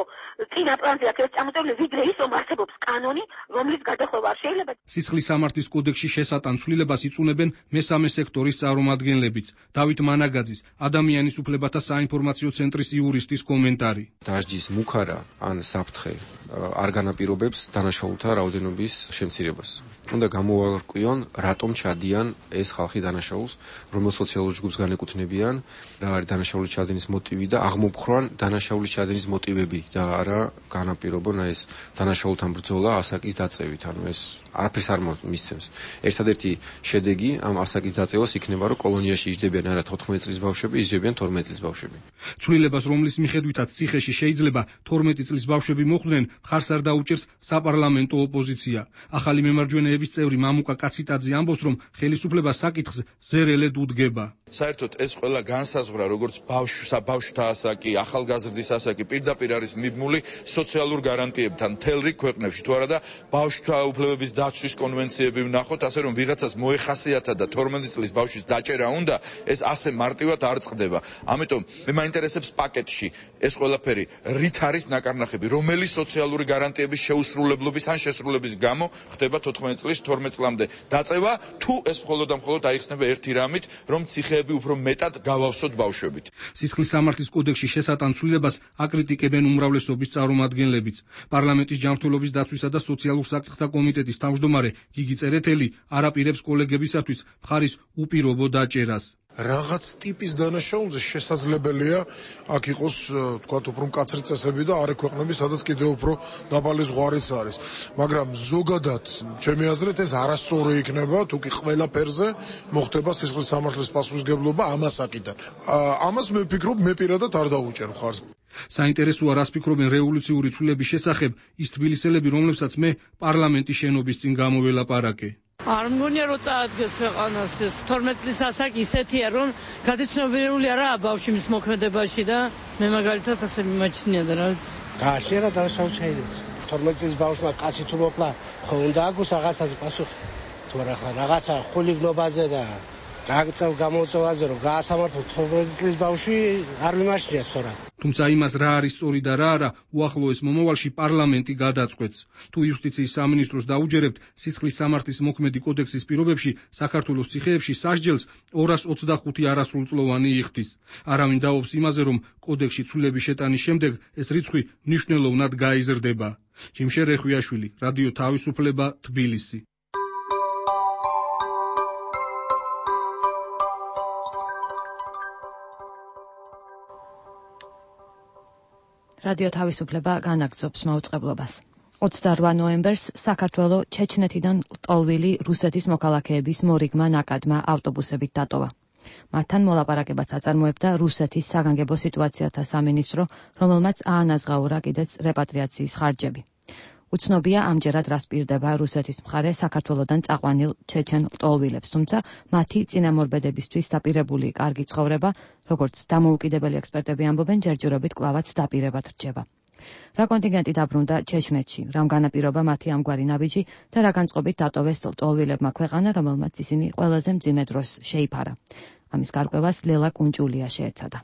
წინა პლანზეა ეს წამოწეული, ვიდრე ის რომ არსებობს კანონი, რომლის გადახვევა არ შეიძლება. სისხლის სამართლის კოდექსში შესატან ცვლილებას იწუნებენ მესამე სექტორის წარმომადგენლებიც. დავით მანაგაძის, ადამიანის უფლებათა საინფორმაციო ცენტრის იურისტის კომენტარი. დასჯის მუქარა ან საფრთხე არ განაპირობებს დანაშაულთა რაოდენობის შემცირებას. უნდა გამოვარკვიონ, რატომ ჩადიან ეს ხალხი დანაშაულს, რომელ სოციალურ ჯგუფს განეკუთვნებიან, რა არის დანაშაულის ჩადენის მოტივი და აღმოფხრან დანაშაულის ჩადენის მოტივები და არა განაპირობონ ეს დანაშაულთან ბრძოლა ასაკის დაწევით. ანუ ეს არაფერს არ მისცემს. ერთადერთი შედეგი ამ ასაკის დაწევას იქნება, რომ კოლონიაში იჯდებიან არა თოთხმეტ წლის ბავშვები, იჯდებიან თორმეტ წლის ბავშვები. ცვლილებას, რომლის მიხედვითაც ციხეში შეიძლება თორმეტი წლის ბავშვები მოხვდნენ, მხარს არ დაუჭერს საპარლამენტო ოპოზიცია. ახალი მემარჯვენეების წევრი მამუკა კაციტაძე ამბობს, რომ ხელისუფლება საკითხს ზერელედ უდგება. საერთოდ ეს ყველა განსაზღვრა, როგორც ბავშვსა, ბავშვთა ასაკი, ახალგაზრდის ასაკი პირდაპირ არის მიბმული სოციალურ გარანტიებთან მთელ რიგ ქვეყნებში. თუ არა და ბავშვთა უფლებების დაცვის კონვენციები ვნახოთ, ასე რომ ვიღაცას მოეხასიათა და თორმეტი წლის ბავშვის დაჭერა უნდა, ეს ასე მარტივად არ წყდება. ამიტომ მე მაინტერესებს პაკეტში ეს ყველაფერი რით არის ნაკარნახები, რომელი სოციალური გარანტიების შეუსრულებლობის ან შესრულების გამო ხდება თოთხმეტ წლის თორმეტ წლამდე დაწევა, თუ ეს მხოლოდ და მხოლოდ აიხსნება ერთი რამით, რომ ციხეები უფრო მეტად გავავსოთ ბავშვებით. სისხლის სამართლის კოდექსში შესატან ცვლილებას აკრიტიკებენ უმრავლესობის წარმომადგენლებიც. პარლამენტის ჯანმრთელობის დაცვისა და სოციალურ საკითხთა კომიტეტის თავმჯდომარე გიგი წერეთელი არ აპირებს კოლეგებისათვის მხარის უპირობო დაჭერას. რაღაც ტიპის დანაშაულზე შესაძლებელია აქ იყოს თქვათ უფრო მკაცრი წესები და არ ექვეყნები, სადაც კიდევ უფრო დაბალი ზღვარიც არის. მაგრამ ზოგადად ჩემი აზრით ეს არასწორი იქნება, თუ კი ყველაფერზე მოხდება სისხლის სამართლის პასუხისმგებლობა ამ ასაკიდან. ამას მე ვფიქრობ, მე პირადად არ დაუჭერ მხარს. საინტერესოა, რას ფიქრობენ რევოლუციური ცვლილების შესახებ ის თბილისელები, რომლებსაც მე პარლამენტის შენობის წინ გამოველაპარაკე. არ მგონია რომ წაადგეს ქვეყანას ეს თორმეტ წლის ასაკი ისეთია რომ გადაცნობიერებული არაა ბავშვის მოქმედებაში და მე მაგალითად ასე მიმაჩნია და რა ვიცი გააშერა დანაშაული ჩაიდეს თორმეტ წლის ბავშვმა კაცი თუ მოკლა ხო უნდა აქვს რაღაცაზე პასუხი თუ არა რაღაცა ხულიგნობაზე და გაგწევ გამოწევაზე რომ გაასამართლო თორმეტ წლის ბავშვი არ მიმაჩნია სწორად. თუმცა იმას რა არის სწორი და რა არა, უახლოეს მომავალში პარლამენტი გადაწყვეტს. თუ იუსტიციის სამინისტროს დაუჯერებთ, სისხლის სამართლის მოქმედი კოდექსის პირობებში საქართველოს ციხეებში სასჯელს ორას ოცდახუთი არასრულწლოვანი იხდის. არავინ დაობს იმაზე, რომ კოდექსში ცვლილების შეტანის შემდეგ ეს რიცხვი მნიშვნელოვნად გაიზრდება. ჯიმშე რეხვიაშვილი, რადიო თავისუფლება, თბილისი. რადიო თავისუფლება განაგრძობს მაუწყებლობას. ოცდარვა ნოემბერს საქართველო ჩეჩნეთიდან ლტოლვილი რუსეთის მოქალაქეების მორიგმა ნაკადმა ავტობუსებით დატოვა. მათთან მოლაპარაკებაც აწარმოებდა რუსეთის საგანგებო სიტუაციათა სამინისტრო, რომელმაც აანაზღაურა კიდეც რეპატრიაციის ხარჯები. უცნობია ამჯერად რას პირდება რუსეთის მხარე საქართველოდან წაყვანილ ჩეჩენ ლტოლვილებს, თუმცა მათი წინამორბედებისთვის დაპირებული კარგი ცხოვრება, როგორც დამოუკიდებელი ექსპერტები ამბობენ, ჯერჯერობით კვლავაც დაპირებად რჩება. რა კონტინგენტი დაბრუნდა ჩეჩნეთში, რამ განაპირობა მათი ამგვარი ნაბიჯი და რა განწყობით დატოვეს ლტოლვილებმა ქვეყანა, რომელმაც ისინი ყველაზე მძიმე დროს შეიფარა. ამის გარკვევას ლელა კუნჭულია შეეცადა.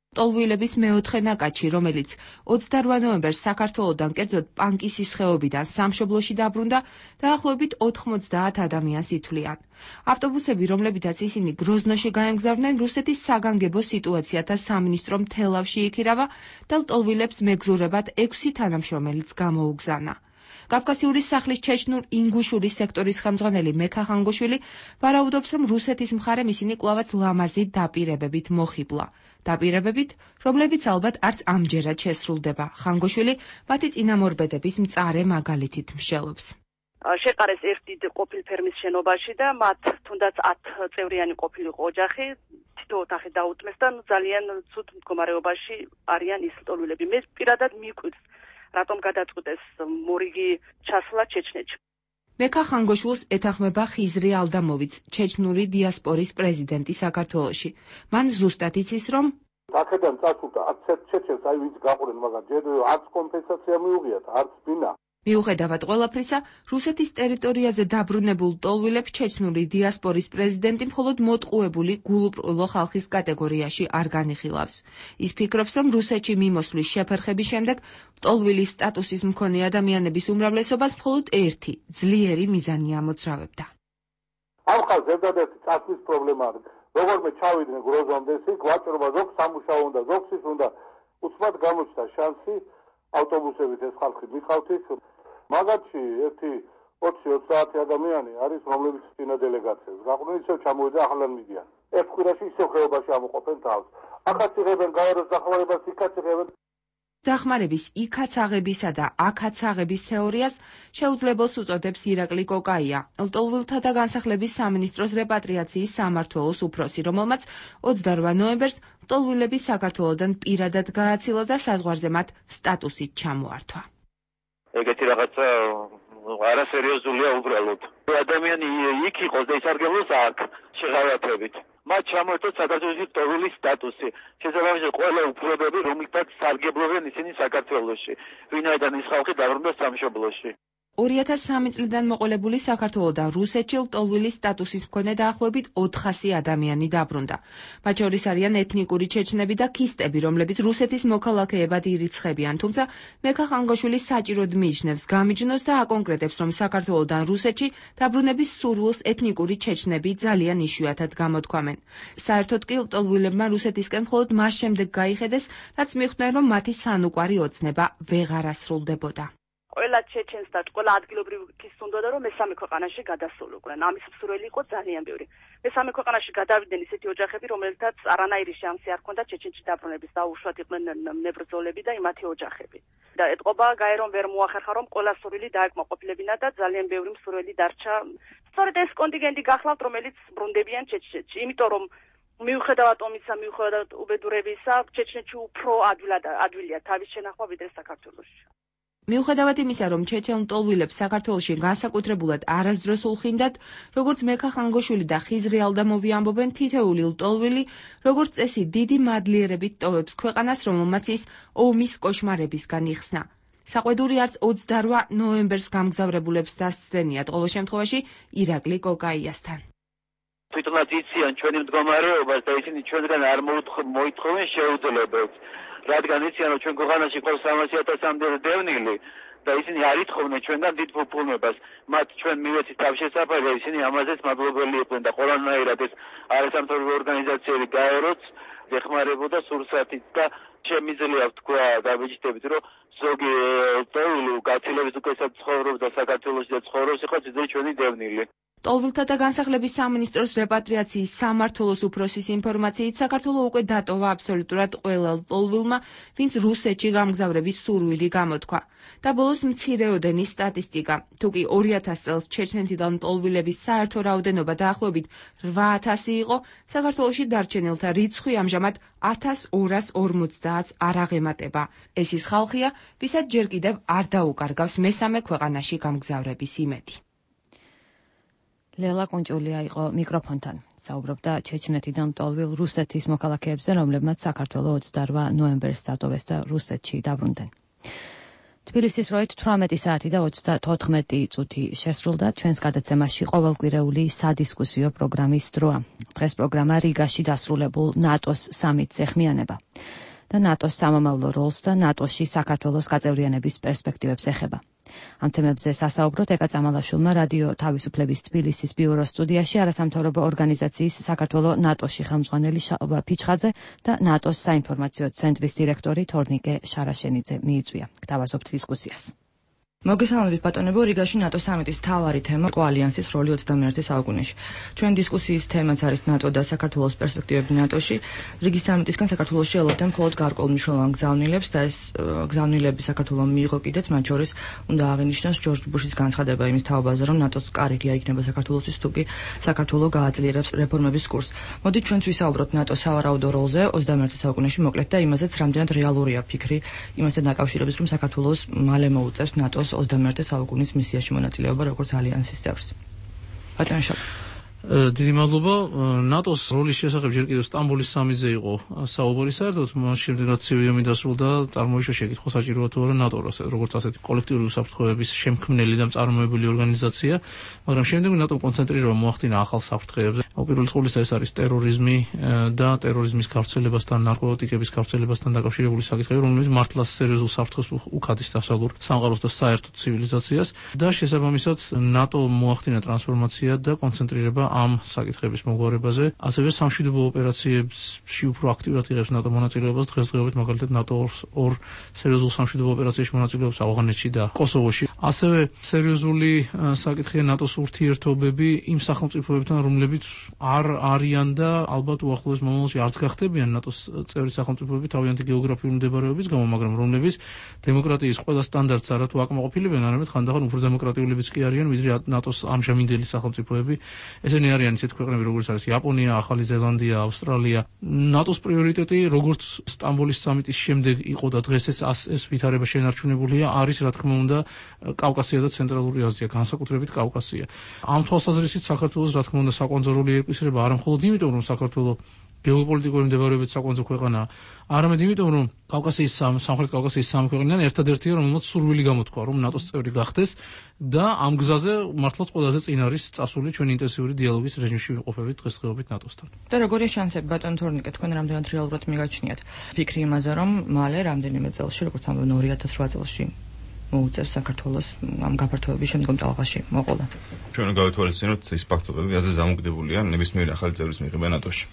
ლტოლვილების მეოთხე ნაკადში, რომელიც ოცდარვა ნოემბერს საქართველოდან, კერძოდ პანკისის ხეობიდან სამშობლოში დაბრუნდა, დაახლოებით ოთხმოცდაათ ადამიანს ითვლიან. ავტობუსები, რომლებითაც ისინი გროზნოში გაემგზავრნენ, რუსეთის საგანგებო სიტუაციათა სამინისტრომ თელავში იქირავა და ლტოლვილებს მეგზურებად ექვსი თანამშრომელიც გამოუგზავნა. კავკასიური სახლის ჩეჩნურ ინგუშურის სექტორის ხელმძღვანელი მექა ხანგოშვილი ვარაუდობს, რომ რუსეთის მხარემ ისინი კვლავაც ლამაზი დაპირებებით მოხიბლა. დაპირებებით, რომლებიც ალბათ არც ამჯერად შესრულდება. ხანგოშვილი მათი წინამორბედების მწარე მაგალითით მსჯელობს. შეყარეს ერთი ყოფილ ფერმის შენობაში და მათ თუნდაც ათწევრიანი ყოფილიყო ოჯახი, თითო ოთახი დაუთმეს და ძალიან ცუდ მდგომარეობაში არიან ის ლტოლვილები. მე პირადად მიკვირს, რატომ გადაწყვიტეს მორიგი ჩასვლა ჩეჩნეთში. მექა ხანგოშვილს ეთანხმება ხიზრი ალდამოვიც, ჩეჩნური დიასპორის პრეზიდენტი საქართველოში. მან ზუსტად იცის, რომ აქედან წასულდა არც ჩეჩენს აი ვინც გაყურენ, მაგრამ ჯერ არც კომპენსაცია მიუღიათ, არც ბინა. მიუხედავად ყველაფრისა, რუსეთის ტერიტორიაზე დაბრუნებულ ლტოლვილებს ჩეჩნური დიასპორის პრეზიდენტი მხოლოდ მოტყუებული გულუბრყვილო ხალხის კატეგორიაში არ განიხილავს. ის ფიქრობს, რომ რუსეთში მიმოსვლის შეფერხების შემდეგ ლტოლვილის სტატუსის მქონე ადამიანების უმრავლესობას მხოლოდ ერთი ძლიერი მიზანი ამოძრავებდა. ამ ხალხს ზედადერთი წასვლის პრობლემა არის. როგორმე ჩავიდნენ გროზონზე, იქ ვაჭრობა ზოგს სამუშაო უნდა, ზოგს ის უნდა. უცბად გამოჩნდა შანსი ავტობუსებით ეს ხალხი მიყავთით. მაგათში ერთი ოცი ოცდაათი ადამიანი არის, რომლებიც წინა დელეგაციას გაყვნენ, ისევ ჩამოვიდა ახლან მიდიან. ერთ კვირაში ისევ ხეობაში ამოყოფენ თავს. ახაც იღებენ გავაროს დახმარებას, იქაც იღებენ. დახმარების იქაც აღებისა და აქაც აღების თეორიას შეუძლებელს უწოდებს ირაკლი კოკაია, ლტოლვილთა და განსახლების სამინისტროს რეპატრიაციის სამმართველოს უფროსი, რომელმაც ოცდარვა ნოემბერს ლტოლვილების საქართველოდან პირადად გააცილა და საზღვარზე მათ სტატუსით ჩამოართვა. ეგეთი რაღაცა არასერიოზულია უბრალოდ. ადამიანი იქ იყოს და ისარგებლოს აქ შეღავათებით. მათ ჩამოერთვათ საქართველოს ლტოლვილის სტატუსი. შესაბამისად ყველა უფლებები, რომლითაც სარგებლობენ ისინი საქართველოში. ვინაიდან ის ხალხი დაბრუნდა სამშობლოში. ორი ათას სამი წლიდან მოყოლებული საქართველოდან რუსეთში ლტოლვილის სტატუსის მქონე დაახლოებით ოთხასი ადამიანი დაბრუნდა. მათ შორის არიან ეთნიკური ჩეჩნები და ქისტები, რომლებიც რუსეთის მოქალაქეებად ირიცხებიან, თუმცა მექა ხანგოშვილი საჭიროდ მიიჩნევს გამიჯნოს და აკონკრეტებს, რომ საქართველოდან რუსეთში დაბრუნების სურვილს ეთნიკური ჩეჩნები ძალიან იშვიათად გამოთქვამენ. საერთოდ კი ლტოლვილებმა რუსეთისკენ მხოლოდ მას შემდეგ გაიხედეს, რაც მიხვდნენ, რომ მათი სანუკვარი ოცნება ვეღარ ასრულდებოდა. ყველა ჩეჩენს და ყველა ადგილობრივ ის უნდოდა, რომ მესამე ქვეყანაში გადასულიყვნენ. ამის მსურველი იყო ძალიან ბევრი. მესამე ქვეყანაში გადავიდნენ ისეთი ოჯახები, რომელთაც არანაირი შანსი არ ჰქონდა ჩეჩენში დაბრუნების, დაუშვათ იყვნენ ნებრძოლები და იმათი ოჯახები. და ეთყობა გაე რომ ვერ მოახერხა, რომ ყველა სურვილი დააკმაყოფილებინა და ძალიან ბევრი მსურველი დარჩა. სწორედ ეს კონტინგენტი გახლავთ, რომელიც ბრუნდებიან ჩეჩნეთში, იმიტომ რომ მიუხედავად ომისა, მიუხედავად უბედურებისა, ჩეჩნეთში უფრო ადვილად ადვილია თავის შენახვა ვიდრე საქართველოში. მიუხედავად იმისა, რომ ჩეჩენ ლტოლვილებს საქართველოში განსაკუთრებულად არასდროს ულხინდათ, როგორც მექა ხანგოშვილი და ხიზრი ალდამოვი ამბობენ, თითეული ლტოლვილი, როგორც წესი, დიდი მადლიერებით ტოვებს ქვეყანას, რომელმაც ის ომის კოშმარებისგან იხსნა. საყვედური არც ოცდარვა ნოემბერს გამგზავრებულებს დასცდენიათ, ყოველ შემთხვევაში ირაკლი კოკაიასთან. თვითონაც იციან ჩვენი მდგომარეობას და ისინი ჩვენგან არ მოითხოვენ შეუძლებელს. რადგან იციან, რომ ჩვენ ქვეყანაში ყავს სამასი ათასამდე დევნილი და ისინი არ ითხოვნენ ჩვენგან დიდ ფუფუნებას. მათ ჩვენ მივეცით თავშესაფარი და ისინი ამაზეც მადლობელი იყვნენ და ყველანაირად ეს არასამთავრობო ორგანიზაციები გაეროც ეხმარებოდა სურსათით და შემიძლია ვთქვა დაბეჭდებით, რომ ზოგი ლტოლვილი გაცილებით უკეთესად ცხოვრობს და საქართველოში და ცხოვრობს, იყო ძლიერი ჩვენი დევნილი. ლტოლვილთა და განსახლების სამინისტროს რეპატრიაციის სამმართველოს უფროსის ინფორმაციით, საქართველო უკვე დატოვა აბსოლუტურად ყველა ლტოლვილმა, ვინც რუსეთში გამგზავრების სურვილი გამოთქვა. და ბოლოს მცირეოდენის სტატისტიკა. თუ კი ორი ათას წელს ჩეჩნეთიდან მტოლვილების საერთო რაოდენობა დაახლოებით რვა ათასი იყო, საქართველოში დარჩენილთა რიცხვი ამჟამად ათას ორას ორმოცდაათს არ აღემატება. ეს ის ხალხია, ვისაც ჯერ კიდევ არ დაუკარგავს მესამე ქვეყანაში გამგზავრების იმედი. ლელა კუნჭულია იყო მიკროფონთან. საუბრობდა ჩეჩნეთიდან მტოლვილ რუსეთის მოქალაქეებზე, რომლებმაც საქართველოს ოცდარვა ნოემბერს დატოვეს და რუსეთში დაბრუნდნენ. თბილისის როით თვრამეტი საათი და ოცდათოთხმეტი წუთი შესრულდა. ჩვენს გადაცემაში ყოველკვირეული სადისკუსიო პროგრამის დროა. დღეს პროგრამა რიგაში დასრულებულ ნატოს სამიტს ეხმიანება და ნატოს სამომავლო როლს და ნატოში საქართველოს გაწევრიანების პერსპექტივებს ეხება. ამ თემებზე სასაუბროთ ეკა წამალაშვილმა რადიო თავისუფლების თბილისის ბიუროს სტუდიაში არასამთავრობო ორგანიზაციის საქართველოს ნატოში ხელმძღვანელი შალვა ფიჩხაძე და ნატოს საინფორმაციო ცენტრის დირექტორი თორნიკე შარაშენიძე მიიწვია. გთავაზობთ დისკუსიას. მოგესალმებით ბატონებო, რიგაში ნატო სამიტის მთავარი თემა იყო ალიანსის როლი ოცდამეერთე საუკუნეში. ჩვენ დისკუსიის თემაც არის ნატო და საქართველოს პერსპექტივები ნატოში. რიგი სამიტისგან საქართველოში ელოდნენ მხოლოდ გარკვეულ მნიშვნელოვან გზავნილებს და ეს გზავნილები საქართველოს მიიღო კიდეც, მათ შორის უნდა აღინიშნოს ჯორჯ ბუშის განცხადება იმის თაობაზე, რომ ნატოს კარიგია იქნება საქართველოსთვის, თუ კი საქართველოს გააძლიერებს რეფორმების კურსს. მოდით ჩვენც ვისაუბროთ ნატოს სავარაუდო როლზე ოცდამეერთე საუკუნეში მოკლედ და იმაზეც, რამდენად რეალურია ფიქრი იმასთან დაკავშირებით, რომ საქართველოს მალე მოუწევს ნატოს ოცდამეერთე საუკუნის მისიაში მონაწილეობა როგორც ალიანსის წევრს. ბატონო შალვა. დიდი მადლობა. ნატოს როლის შესახებ ჯერ კიდევ სტამბოლის სამიტზე იყო საუბარი საერთოდ, მას შემდეგ რაც სევიუმი დასრულდა, წარმოიშვა შეკითხვა საჭიროა თუ არა ნატო როგორც ასეთი კოლექტიური უსაფრთხოების შემქმნელი და მწარმოებელი ორგანიზაცია, მაგრამ შემდეგ ნატომ კონცენტრირება მოახდინა ახალ საფრთხეებზე. უპირველეს ყოვლისა ეს არის ტერორიზმი და ტერორიზმის გავრცელებასთან, ნარკოტიკების გავრცელებასთან დაკავშირებული საკითხები, რომლებიც მართლაც სერიოზულ საფრთხეს უხადის დასავლურ სამყაროს და საერთოდ ცივილიზაციას და შესაბამისად ნატო მოახდინა ტრანსფორმაცია და კონცენტრირება ამ საკითხების მოგვარებაზე, ასევე სამშვიდობო ოპერაციებში უფრო აქტიურად იღებს ნატო მონაწილეობას. დღესდღეობით მაგალითად ნატო ორ სერიოზულ სამშვიდობო ოპერაციაში მონაწილეობს ავღანეთში და კოსოვოში. ასევე სერიოზული საკითხია ნატოს ურთიერთობები იმ სახელმწიფოებთან, რომლებიც არ არიან და ალბათ უახლოეს მომავალში არც გახდებიან ნატოს წევრი სახელმწიფოები თავიანთი გეოგრაფიული მდებარეობის გამო, მაგრამ რომლებიც დემოკრატიის ყველა სტანდარტს არათუ აკმაყოფილებენ, არამედ ხანდახან უფრო დემოკრატიულებიც კი არიან, ვიდრე ნატოს ამჟამინდელი სახელმწიფოები. ესენი არიან ისეთ ქვეყნები, როგორც არის იაპონია, ახალი ზელანდია, ავსტრალია. ნატოს პრიორიტეტი, როგორც სტამბოლის სამიტის შემდეგ იყო და დღეს ეს ეს ვითარება შენარჩუნებულია, არის რა თქმა უნდა კავკასია და ცენტრალური აზია, განსაკუთრებით კავკასია. ამ თვალსაზრისით საქართველოს რა თქმა უნდა საკვანძო როლი ეკისრება არა მხოლოდ იმიტომ, რომ საქართველოს გეოპოლიტიკური მდებარეობით საკვანძო ქვეყანაა, არამედ იმიტომ, რომ კავკასიის სამხრეთ კავკასიის სამი ქვეყნიდან ერთადერთია, რომელმაც სურვილი გამოთქვა, რომ ნატოს წევრი გახდეს და ამ გზაზე მართლაც ყველაზე წინ არის წასული ჩვენ ინტენსიური დიალოგის რეჟიმში ვიყოფებით დღესდღეობით ნატოსთან. და როგორია შანსები ბატონ თორნიკე, თქვენ რამდენად რეალურად მიგაჩნიათ ფიქრი იმაზე, რომ მალე რამდენიმე წელში, როგორც ამბობენ ორი ათას რვა წელში მოუწევს საქართველოს ამ გაფართოების შემდგომ ტალღაში მოყოლა. ჩვენ გავითვალისწინოთ ის ფაქტობები, რაზეც დამოკიდებულია ნებისმიერი ახალი წევრის მიღება ნატოში.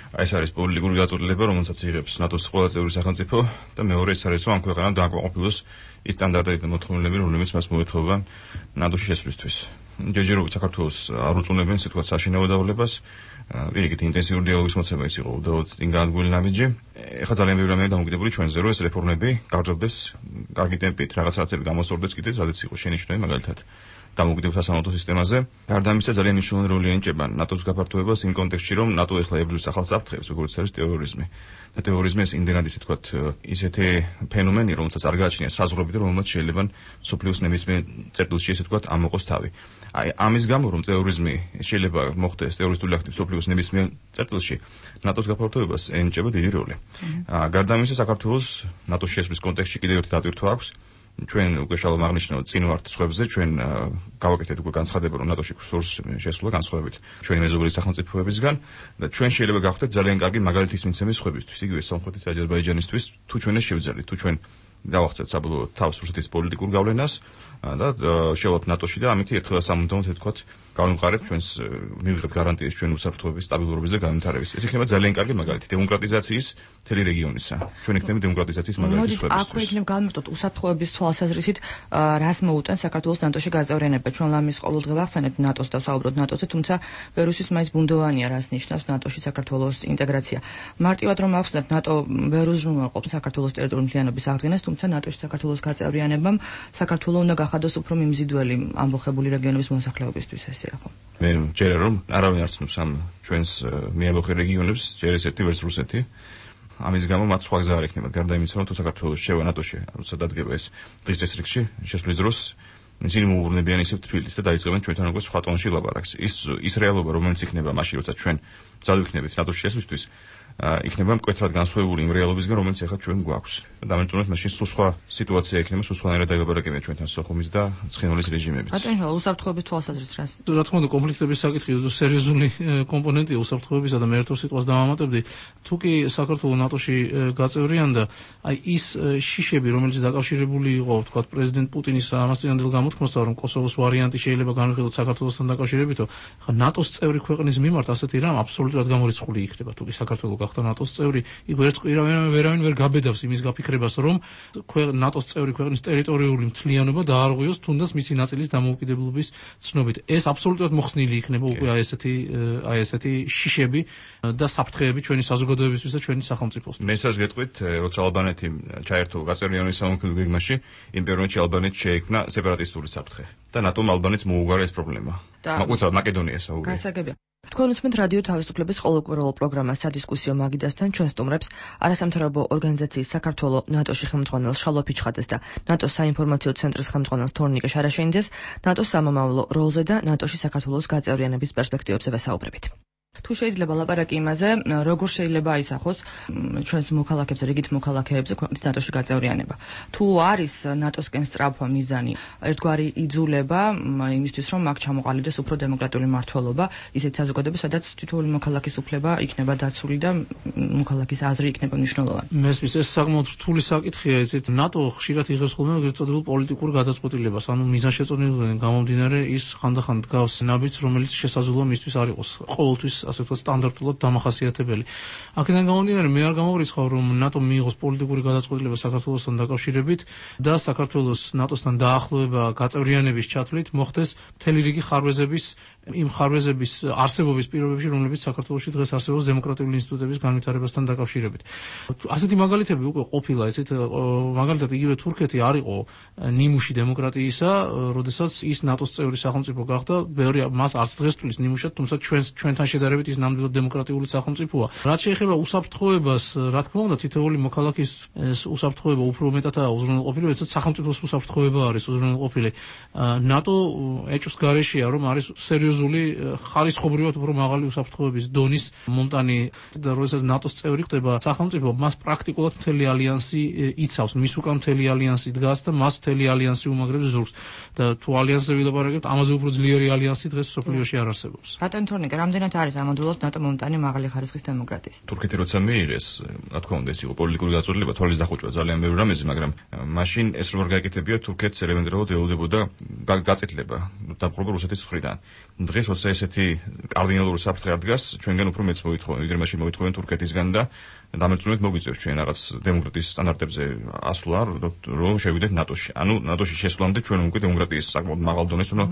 ეს არის პოლიტიკური გაწყვეტილება, რომელსაც იღებს ნატოს ყველა წევრი სახელმწიფო და მეორე ის არის, რომ ამ ქვეყანამ დააკმაყოფილოს ის სტანდარტები და მოთხოვნილები, რომლებიც მას მოეთხოვება ნატოში შესვლისთვის. ჯერჯერობით საქართველოს არ უწუნებენ, ასე ვთქვათ, საშინაო დავალებას. პირიქით ინტენსიური დიალოგის მოცემა ის იყო უდაოდ წინ განადგურებული ნაბიჯი. ეხლა ძალიან ბევრი რამეა დამოკიდებული ჩვენზე, რომ ეს რეფორმები გაგრძელდეს კარგი ტემპით, რაღაცაცები გამოსწორდეს კიდეც, სადაც იყო შენიშვნები მაგალითად დამოუკიდებელ სასამართლო სისტემაზე. გარდა ამისა, ძალიან მნიშვნელოვანი როლი ენიჭება ნატოს გაფართოებას იმ კონტექსტში, რომ ნატო ეხლა ებრძვის ახალ საფრთხეებს, როგორც არის ტერორიზმი. და ტერორიზმი ეს იმდენად ისე თქვათ ისეთი ფენომენი, რომელსაც არ გააჩნია საზღვრები და რომელმაც შეიძლება სოფლიოს ნებისმიერ წერტილში ესე თქვათ ამოყოს თავი. აი ამის გამო, რომ ტერორიზმი შეიძლება მოხდეს ტერორისტული აქტი სოფლიოს ნებისმიერ წერტილში, ნატოს გაფართოებას ენიჭება დიდი როლი. გარდა ამისა, საქართველოს ნატოს შესვლის კონტექსტში კიდევ ერთი დატვირთვა აქვს. ჩვენ უკვე შალვა აღნიშნო წინ ვართ სხვებზე, ჩვენ გავაკეთეთ უკვე განცხადება, რომ ნატოში სურს შესვლა განსხვავებით ჩვენი მეზობელი სახელმწიფოებისგან და ჩვენ შეიძლება გავხდეთ ძალიან კარგი მაგალითის მიცემის სხვებისთვის, იგივე სომხეთის, აზერბაიჯანისთვის, თუ ჩვენ ეს შევძლებთ, თუ ჩვენ დავახცეთ საბოლოო თავს რუსეთის პოლიტიკურ გავლენას და შევალთ ნატოში და ამით ერთხელ სამუდამოდ თქვათ გავიმყარებთ ჩვენს მივიღებთ გარანტიას ჩვენ უსაფრთხოების სტაბილურობის და განვითარების. ეს იქნება ძალიან კარგი მაგალითი დემოკრატიზაციის მთელი რეგიონისა. ჩვენ იქნება დემოკრატიზაციის მაგალითი სხვებისთვის. აქვე იქნება გავიმარტოთ უსაფრთხოების თვალსაზრისით, რას მოუტანს საქართველოს ნატოში გაწევრიანება. ჩვენ ლამის ყოველდღე ვახსენებთ ნატოს და საუბრობთ ნატოზე, თუმცა ბევრისთვის მაინც ბუნდოვანია, რას ნიშნავს ნატოში საქართველოს ინტეგრაცია. მარტივად რომ ავხსნათ, ნატო ვერ უზრუნველყოფს საქართველოს ტერიტორიული მთლიანობის აღდგენას, თუმცა ნატოში საქართველოს გაწევრიანებამ საქართველოს უნდა გახადოს უფრო მიმზიდველი ამბოხებული რეგიონების მოსახლეობისთვის ესეა ხო? მე ჯერა რომ არავინ არ ცნობს ამ ჩვენს მიამბოხე რეგიონებს, ჯერ ესეთი ვერც რუსეთი. ამის გამო მათ სხვა გზა არ ექნება, გარდა იმისა, რომ თუ საქართველოს შევა ნატოში, როცა დადგება ეს დღის წესრიგში, შესვლის დროს ისინი მოუბრუნებიან ისევ თბილისს და დაიწყებენ ჩვენთან როგორც სხვა ტონში ლაპარაკს. ის ის რეალობა, რომელიც იქნება მაშინ, როცა ჩვენ წავიქნებით ნატოში შესვლისთვის, იქნება მკვეთრად განსხვავებული იმ რეალობისგან, რომელიც ახლა ჩვენ გვაქვს. დამეტყუნოთ მაშინ სულ სხვა სიტუაცია იქნება, სულ სხვანაირად დაილაპარაკებიან ჩვენთან სოხუმის და ცხინვალის რეჟიმებიც. ბატონო, უსაფრთხოების თვალსაზრისით რას? რა თქმა უნდა, კონფლიქტების საკითხი სერიოზული კომპონენტია უსაფრთხოებისა და მე ერთ სიტყვას დავამატებდი. თუ კი საქართველოს ნატოში გაწევრიანდა, აი ის შიშები, რომელიც დაკავშირებული იყო, ვთქვათ, პრეზიდენტ პუტინის ამასწინებელ გამოთქმასთან, რომ კოსოვოს ვარიანტი შეიძლება განვიხილოთ საქართველოსთან დაკავშირებითო, ხა ნატოს წევრი ქვეყნის მიმართ ასეთი რამ აბსოლუტურად გამორიცხული იქნება, თუ კი საქართველოს გახდა ნატოს წევრი, იქ ვერც ვერავინ ვერავინ ვერ გაბედავს იმის გაფიქრებას, რომ ნატოს წევრი ქვეყნის ტერიტორიული მთლიანობა დაარღვიოს თუნდაც მისი ნაწილის დამოუკიდებლობის ცნობით. ეს აბსოლუტურად მოხსნილი იქნება უკვე აი ესეთი აი ესეთი შიშები და საფრთხეები ჩვენი საზოგადოებისთვის და ჩვენი სახელმწიფოსთვის. მე σας გეტყვით, როცა ალბანეთი ჩაერთო გაწევრიანების სამოქმედო გეგმაში, იმ პერიოდში ალბანეთს შეექმნა სეპარატისტული საფრთხე და ნატომ ალბანეთს მოუგარა ეს პრობლემა. მაგალითად მაკედონიას აუგე. გასაგებია. თქვენ უსმენთ რადიო თავისუფლების ყოველკვირეულ პროგრამას სადისკუსიო მაგიდასთან, ჩვენ სტუმრებს არასამთავრობო ორგანიზაციის საქართველოს ნატოში ხელმძღვანელს შალვა ფიჩხაძეს და ნატოს საინფორმაციო ცენტრის ხელმძღვანელს თორნიკე შარაშენიძეს ნატოს სამომავლო როლზე და ნატოში საქართველოს გაწევრიანების პერსპექტივებზე ვესაუბრებით. თუ შეიძლება ლაპარაკი იმაზე, როგორ შეიძლება აისახოს ჩვენს მოქალაქეებზე, რიგით მოქალაქეებზე ქვეყნის ნატოში გაწევრიანება. თუ არის ნატოსკენ სწრაფვა მიზანი, ერთგვარი იძულება იმისთვის, რომ აქ ჩამოყალიბდეს უფრო დემოკრატიული მმართველობა, ისეთ საზოგადოებას, სადაც თითოეული მოქალაქის უფლება იქნება დაცული და მოქალაქის აზრი იქნება მნიშვნელოვანი. მესმის ეს საკმაოდ რთული საკითხია, იცით, ნატო ხშირად იღებს ხოლმე ეგრეთ წოდებულ პოლიტიკურ გადაწყვეტილებას, ანუ მიზანშეწონებიდან გამომდინარე ის ხანდახან დგავს ნაბიჯს, რომელიც შესაძლოა მისთვის არ იყოს ყოველთვის ასე ვთქვათ სტანდარტულად დამახასიათებელი. აქედან გამომდინარე მე არ გამოვრიცხავ რომ ნატომ მიიღოს პოლიტიკური გადაწყვეტილება საქართველოსთან დაკავშირებით და საქართველოს ნატოსთან დაახლოება გაწევრიანების ჩათვლით მოხდეს მთელი რიგი ხარვეზების იმ ხარვეზების არსებობის პირობებში, რომლებიც საქართველოში დღეს არსებობს დემოკრატიული ინსტიტუტების განვითარებასთან დაკავშირებით. ასეთი მაგალითები უკვე ყოფილა, ესეთ მაგალითად იგივე თურქეთი არ იყო ნიმუში დემოკრატიისა, როდესაც ის ნატოს წევრი სახელმწიფო გახდა, ბევრი მას არც დღეს თulis ნიმუშად, თუმცა ჩვენ ჩვენთან შედარებით ის ნამდვილად დემოკრატიული სახელმწიფოა. რაც შეეხება უსაფრთხოებას, რა თქმა უნდა, თითოეული მოქალაქის უსაფრთხოება უფრო მეტადაა უზრუნველყოფილი, როდესაც სახელმწიფოს უსაფრთხოება არის უზრუნველყოფილი. ნატო ეჭვს გარეშეა, რომ არის სერიოზული ხარისხობრივად უფრო მაღალი უსაფრთხოების დონის მონტანი და როდესაც ნატოს წევრი ხდება სახელმწიფო, მას პრაქტიკულად მთელი ალიანსი იცავს, მის უკან მთელი ალიანსი დგას და მას მთელი ალიანსი უმაგრებს ზურგს. და თუ ალიანსზე ვილაპარაკებთ, ამაზე უფრო ძლიერი ალიანსი დღეს სოფლიოში არ არსებობს. ბატონ თორნიკე, რამდენად არის ამოდროულად ნატო მომტანი მაღალი ხარისხის დემოკრატიის? თურქეთი როცა მიიღეს, რა თქმა უნდა, ეს იყო პოლიტიკური გაწყვეტილება, თვალის დახვეჭვა ძალიან ბევრი რამეზე, მაგრამ მაშინ ეს როგორ გაეკეთებია, თურქეთს ელემენტარულად ელოდებოდა გაწეთლება დაპყრობა რუსეთის მხრიდან. დღეს როცა ესეთი კარდინალური საფრთხე არ დგას, ჩვენგან უფრო მეც მოითხოვენ, ვიდრე მაშინ მოითხოვენ თურქეთისგან და დამეწუნეთ მოგვიწევს ჩვენ რაღაც დემოკრატიის სტანდარტებზე ასვლა, რომ შევიდეთ ნატოში. ანუ ნატოში შესვლამდე ჩვენ უკვე დემოკრატიის საკმაოდ მაღალ დონეს უნდა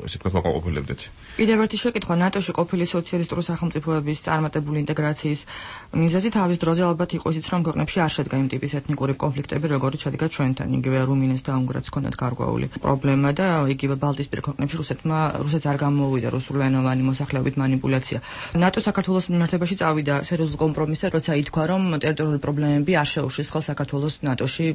ესე თქვა ყოფილებდეთ. კიდევ ერთი შეკითხვა, ნატოში ყოფილი სოციალისტური სახელმწიფოების წარმატებული ინტეგრაციის მიზეზი თავის დროზე ალბათ იყო ისიც, რომ ქვეყნებში არ შედგა იმ ტიპის ეთნიკური კონფლიქტები, როგორიც შედგა ჩვენთან, იგივე რუმინეთს და უნგრეთს ჰქონდათ გარკვეული პრობლემა და იგივე ბალტიისპირა ქვეყნებში რუსეთმა რუსეთს არ გამოვიდა რუსულენოვანი მოსახლეობით манипуляცია. ნატო საქართველოს მიმართებაში წავიდა სერიოზულ კომპრომისზე, როცა ითქვა რომ ტერიტორიული პრობლემები არ შეუშვეს ხოლ საქართველოს ნატოში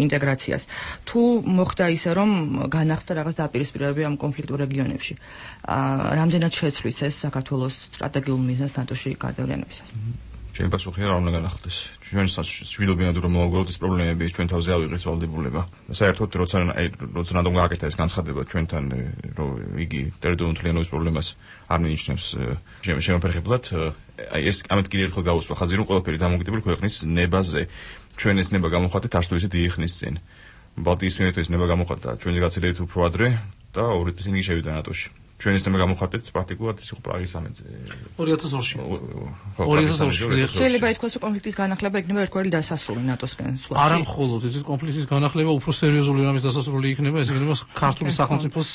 ინტეგრაციას. თუ მოხდა ისე რომ განახდა რაღაც დაპირისპირებები ამ კონფლიქტურ რეგიონებში, რამდენად შეცვლის ეს საქართველოს სტრატეგიულ მიზანს ნატოში გაწევრიანებისას? ჩემი პასუხია რა უნდა განახლდეს. ჩვენ ვიდობინათ რომ მოგვიგოთ ეს პრობლემები ჩვენ თავზე ავიღეთ ვალდებულება. საერთოდ როცა როცა ნატომ გააკეთა ეს განცხადება ჩვენთან რომ იგი ტერიტორიული მთლიანობის პრობლემას არ მინიშნებს შემოფერხებლად, აი ეს ამით კიდევ ერთხელ გავუსვა ხაზი რომ ყველაფერი დამოუკიდებელი ქვეყნის ნებაზე ჩვენ ეს ნება გამოხატეთ არც თუ ისე დიდი ხნის წინ. ბალტიისპირეთის ნება გამოხატა ჩვენი გაცილებით უფრო ადრე და ორი წელი შევიდა ნატოში. ჩვენ ისე გამოხატეთ პრაქტიკულად ის იყო პრაღის სამიტი ორი ათას ორში. ორი ათას ორში. შეიძლება ითქვას, რომ კონფლიქტის განახლება იქნება ერთგვარი დასასრული ნატოსკენ სულაში. არა მხოლოდ ეს კონფლიქტის განახლება უფრო სერიოზული რამის დასასრული იქნება, ეს იქნება ქართული სახელმწიფოს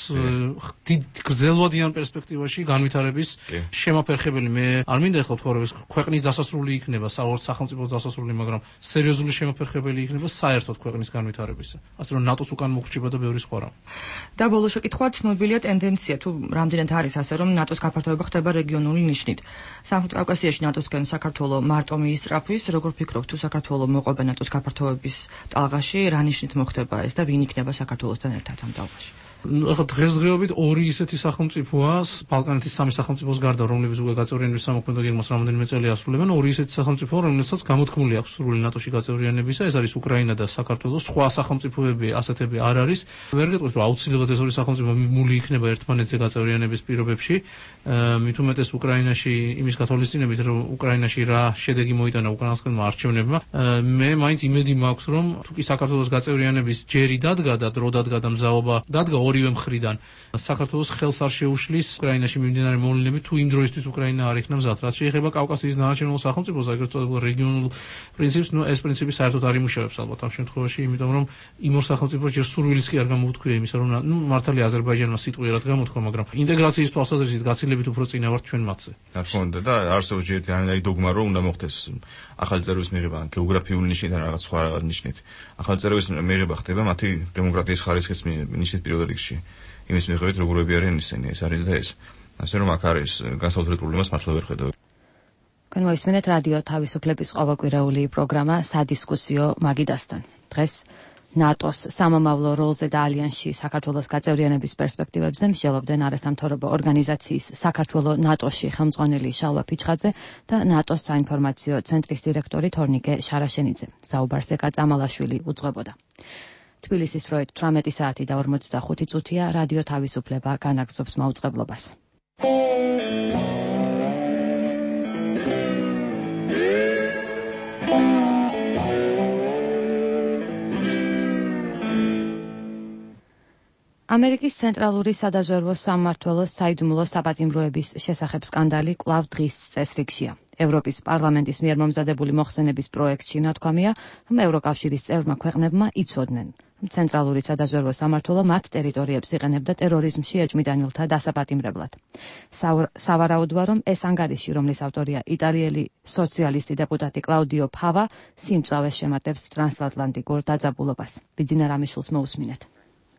დიდ გრძელვადიან პერსპექტივაში განვითარების შემაფერხებელი. მე არ მინდა ეხლა ვთქვა, რომ ეს ქვეყნის დასასრული იქნება, საერთოდ სახელმწიფოს დასასრული, მაგრამ სერიოზული შემაფერხებელი იქნება საერთოდ ქვეყნის განვითარებისა. ასე რომ ნატოს უკან მოხრჩება და ბევრი სხვა რამ. და ბოლო შეკითხვა ცნობილია ტენდენცია თუ რამდენად არის ასე რომ ნატოს გაფართოება ხდება რეგიონული ნიშნით. სამხრეთ კავკასიაში ნატოსგან საქართველოს მარტო მიისწრაფვის, როგორ ფიქრობთ თუ საქართველოს მოყვება ნატოს გაფართოების ტალღაში, რა ნიშნით მოხდება ეს და ვინ იქნება საქართველოსთან ერთად ამ ტალღაში? ახლა დღესდღეობით ორი ისეთი სახელმწიფოა, ბალკანეთის სამი სახელმწიფოს გარდა, რომლებიც უკვე გაწევრიანების სამოქმედო გეგმას რამდენიმე წელი ასრულებენ, ორი ისეთი სახელმწიფოა, რომლებსაც გამოთქმული აქვს სრული ნატოში გაწევრიანებისა, ეს არის უკრაინა და საქართველო. სხვა სახელმწიფოები ასეთები არ არის. ვერ გეტყვით, რომ აუცილებლად ეს ორი სახელმწიფო მული იქნება ერთმანეთზე გაწევრიანების პირობებში. მით უმეტეს უკრაინაში იმის გათვალისწინებით, რომ უკრაინაში რა შედეგი მოიტანა უკრაინასკენმა არჩევნებმა. მე მაინც იმედი მაქვს, რომ თუ კი საქართველოს გაწევრიანების ჯერი დადგა და დრო დადგა და მზაობა დადგა ორივე მხრიდან საქართველოს ხელს არ შეუშლის უკრაინაში მიმდინარე მოვლენები თუ იმ დროისთვის უკრაინა არ იქნა მზად. რაც შეეხება კავკასიის დანარჩენილ სახელმწიფოს, აგრეთვე წოდებულ რეგიონულ პრინციპს, ნუ ეს პრინციპი საერთოდ არ იმუშავებს ალბათ ამ შემთხვევაში, იმიტომ რომ იმ ორ სახელმწიფოს ჯერ სურვილიც კი არ გამოუთქვია იმისა, რომ ნუ მართალია აზერბაიჯანმა სიტყვიერად გამოთქვა, მაგრამ ინტეგრაციის თვალსაზრისით გაცილებით უფრო წინა ვართ ჩვენ მათზე. რა თქმა უნდა და არსებობს ერთიანი დოგმა, რომ უნდა მოხდეს ახალი წერების მიღება გეოგრაფიული ნიშნით და რაღაც სხვა ნიშნით. ახალი წერების მიღება ხდება მათი დემოკრატიის ხარისხის ნიშნით პირველ რიგში. იმის მიხედვით როგორები არიან ისინი, ეს არის და ეს. ასე რომ აქ არის განსაკუთრებული პრობლემას მართლა ვერ ხედავ. განვაისმენეთ რადიო თავისუფლების ყოველკვირეული პროგრამა სადისკუსიო მაგიდასთან. დღეს ნატოს სამომავლო როლზე და ალიანსში საქართველოს გაწევრიანების პერსპექტივებზე მსჯელობდნენ არასამთავრობო ორგანიზაციის საქართველოს ნატოში ხელმძღვანელი შალვა ფიჩხაძე და ნატოს საინფორმაციო ცენტრის დირექტორი თორნიკე შარაშენიძე. საუბარს ეკა წამალაშვილი უძღვებოდა. თბილისის როით თვრამეტი საათი და ორმოცდახუთი წუთია, რადიო თავისუფლება განაგრძობს მაუწყებლობას. ამერიკის ცენტრალური სადაზვერვო სამმართველოს საიდუმლო საპატიმროების შესახებ სკანდალი კვლავ დღის წესრიგშია. ევროპის პარლამენტის მიერ მომზადებული მოხსენების პროექტში ნათქვამია, რომ ევროკავშირის წევრმა ქვეყნებმა იცოდნენ, რომ ცენტრალური სადაზვერვო სამმართველო მათ ტერიტორიებს იყენებდა ტერორიზმში ეჭვმიტანილთა დასაპატიმრებლად. სავარაუდოა, რომ ეს ანგარიში, რომლის ავტორია იტალიელი სოციალისტი დეპუტატი კლაუდიო ფავა, სიმწავეს შემატებს ტრანსატლანტიკურ დაძაბულობას. ბიძინა რამიშვილს მოусმინეთ.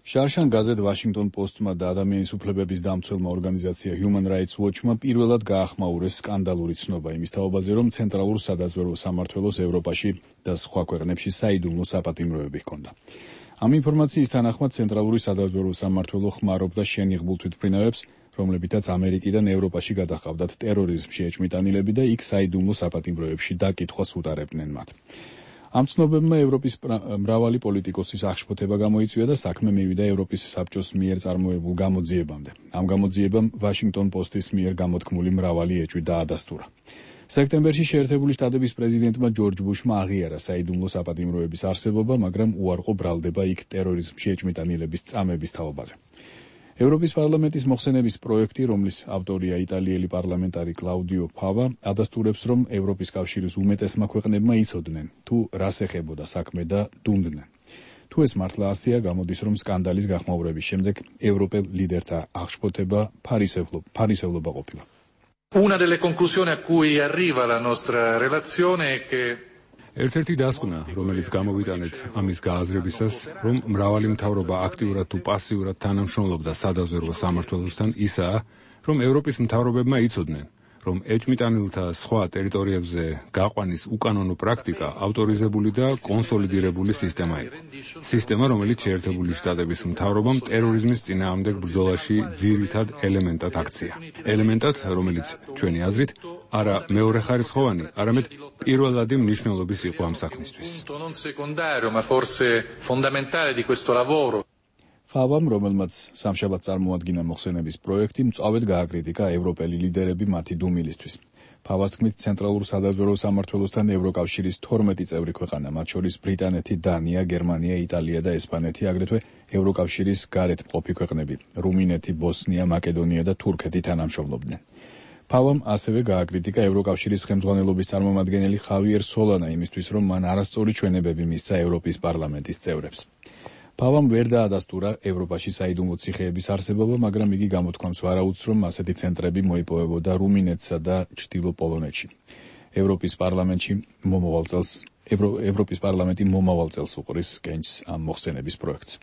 შარშან გაზეთ ვაშინგტონ პოსტმა და ადამიანის უფლებების დამცველმა ორგანიზაცია Human Rights Watch-მა პირველად გაახმაურეს სკანდალური ცნობა იმის თაობაზე, რომ ცენტრალურ სადაზვერვო სამმართველოს ევროპაში და სხვა ქვეყნებში საიდუმლო საპატიმროები ჰქონდა. ამ ინფორმაციის თანახმად ცენტრალური სადაზვერვო სამმართველო ხმარობდა შენიღბულ თვითმფრინავებს, რომლებითაც ამერიკიდან ევროპაში გადაჰყავდათ ტერორიზმში ეჭვმიტანილები და იქ საიდუმლო საპატიმროებში დაკითხვას უტარებდნენ მათ. ამ ცნობებმა ევროპის მრავალი პოლიტიკოსის აღშფოთება გამოიწვია და საქმე მივიდა ევროპის საბჭოს მიერ წარმოებულ გამოძიებამდე. ამ გამოძიებამ ვაშინგტონ პოსტის მიერ გამოთქმული მრავალი ეჭვი დაადასტურა. სექტემბერში შეერთებული შტატების პრეზიდენტმა ჯორჯ ბუშმა აღიარა საიდუმლო საპატიმროების არსებობა, მაგრამ უარყო ბრალდება იქ ტერორიზმში ეჭვმიტანილების წამების თაობაზე. ევროპის პარლამენტის მოხსენების პროექტი, რომლის ავტორია იტალიელი პარლამენტარი კლაუდიო ფავა, ადასტურებს, რომ ევროპის კავშირის უმეტესმა ქვეყნებმა იცოდნენ, თუ რას ეხებოდა საქმე და დუმდნენ. თუ ეს მართლა ასეა, გამოდის, რომ სკანდალის გახმაურების შემდეგ ევროპელ ლიდერთა აღშფოთება ფარისევლობა ყოფილა. Una delle conclusioni a cui arriva la nostra relazione è che ერთ-ერთი დასკვნა, რომელიც გამოვიტანეთ ამის გააზრებისას, რომ მრავალი მთავრობა აქტიურად თუ პასიურად თანამშრომლობდა სადაზვერვო სამმართველოსთან, ისაა, რომ ევროპის მთავრობებმა იცოდნენ, რომ ეჭვმიტანილთა სხვა ტერიტორიებზე გაყვანის უკანონო პრაქტიკა ავტორიზებული და კონსოლიდირებული სისტემა იყო. სისტემა, რომელიც შეერთებული შტატების მთავრობამ ტერორიზმის წინააღმდეგ ბრძოლაში ძირითად ელემენტად აქცია. ელემენტად, რომელიც ჩვენი აზრით არა მეორეხარისხოვანი, არამედ პირველადი მნიშვნელობის იყო ამ საქმისთვის. ფავამ, რომელმაც სამშაბათს წარმოადგინა მოხსენების პროექტი, მწვავედ გააკრიტიკა ევროპელი ლიდერები მათი დუმილისთვის. ფავას თქმით, ცენტრალურ სადაზვერვო სამმართველოსთან ევროკავშირის თორმეტი წევრი ქვეყანა, მათ შორის ბრიტანეთი, დანია, გერმანია, იტალია და ესპანეთი, აგრეთვე ევროკავშირის გარეთ მყოფი ქვეყნები რუმინეთი, ბოსნია, მაკედონია და თურქეთი თანამშრომლობდნენ. ფავამ ასევე გააკრიტიკა ევროკავშირის ხელმძღვანელობის წარმომადგენელი ხავიერ სოლანა იმისთვის, რომ მან არასწორი ჩვენებები მისცა ევროპის პარლამენტის წევრებს. ფავამ ვერ დაადასტურა ევროპაში საიდუმლო ციხეების არსებობა, მაგრამ იგი გამოთქვამს ვარაუდს, რომ ასეთი ცენტრები მოიპოვებოდა რუმინეთსა და ჩრდილო პოლონეთში. ევროპის პარლამენტში მომავალ წელს ევროპის პარლამენტი მომავალ წელს უყრის კენჭს ამ მოხსენების პროექტს.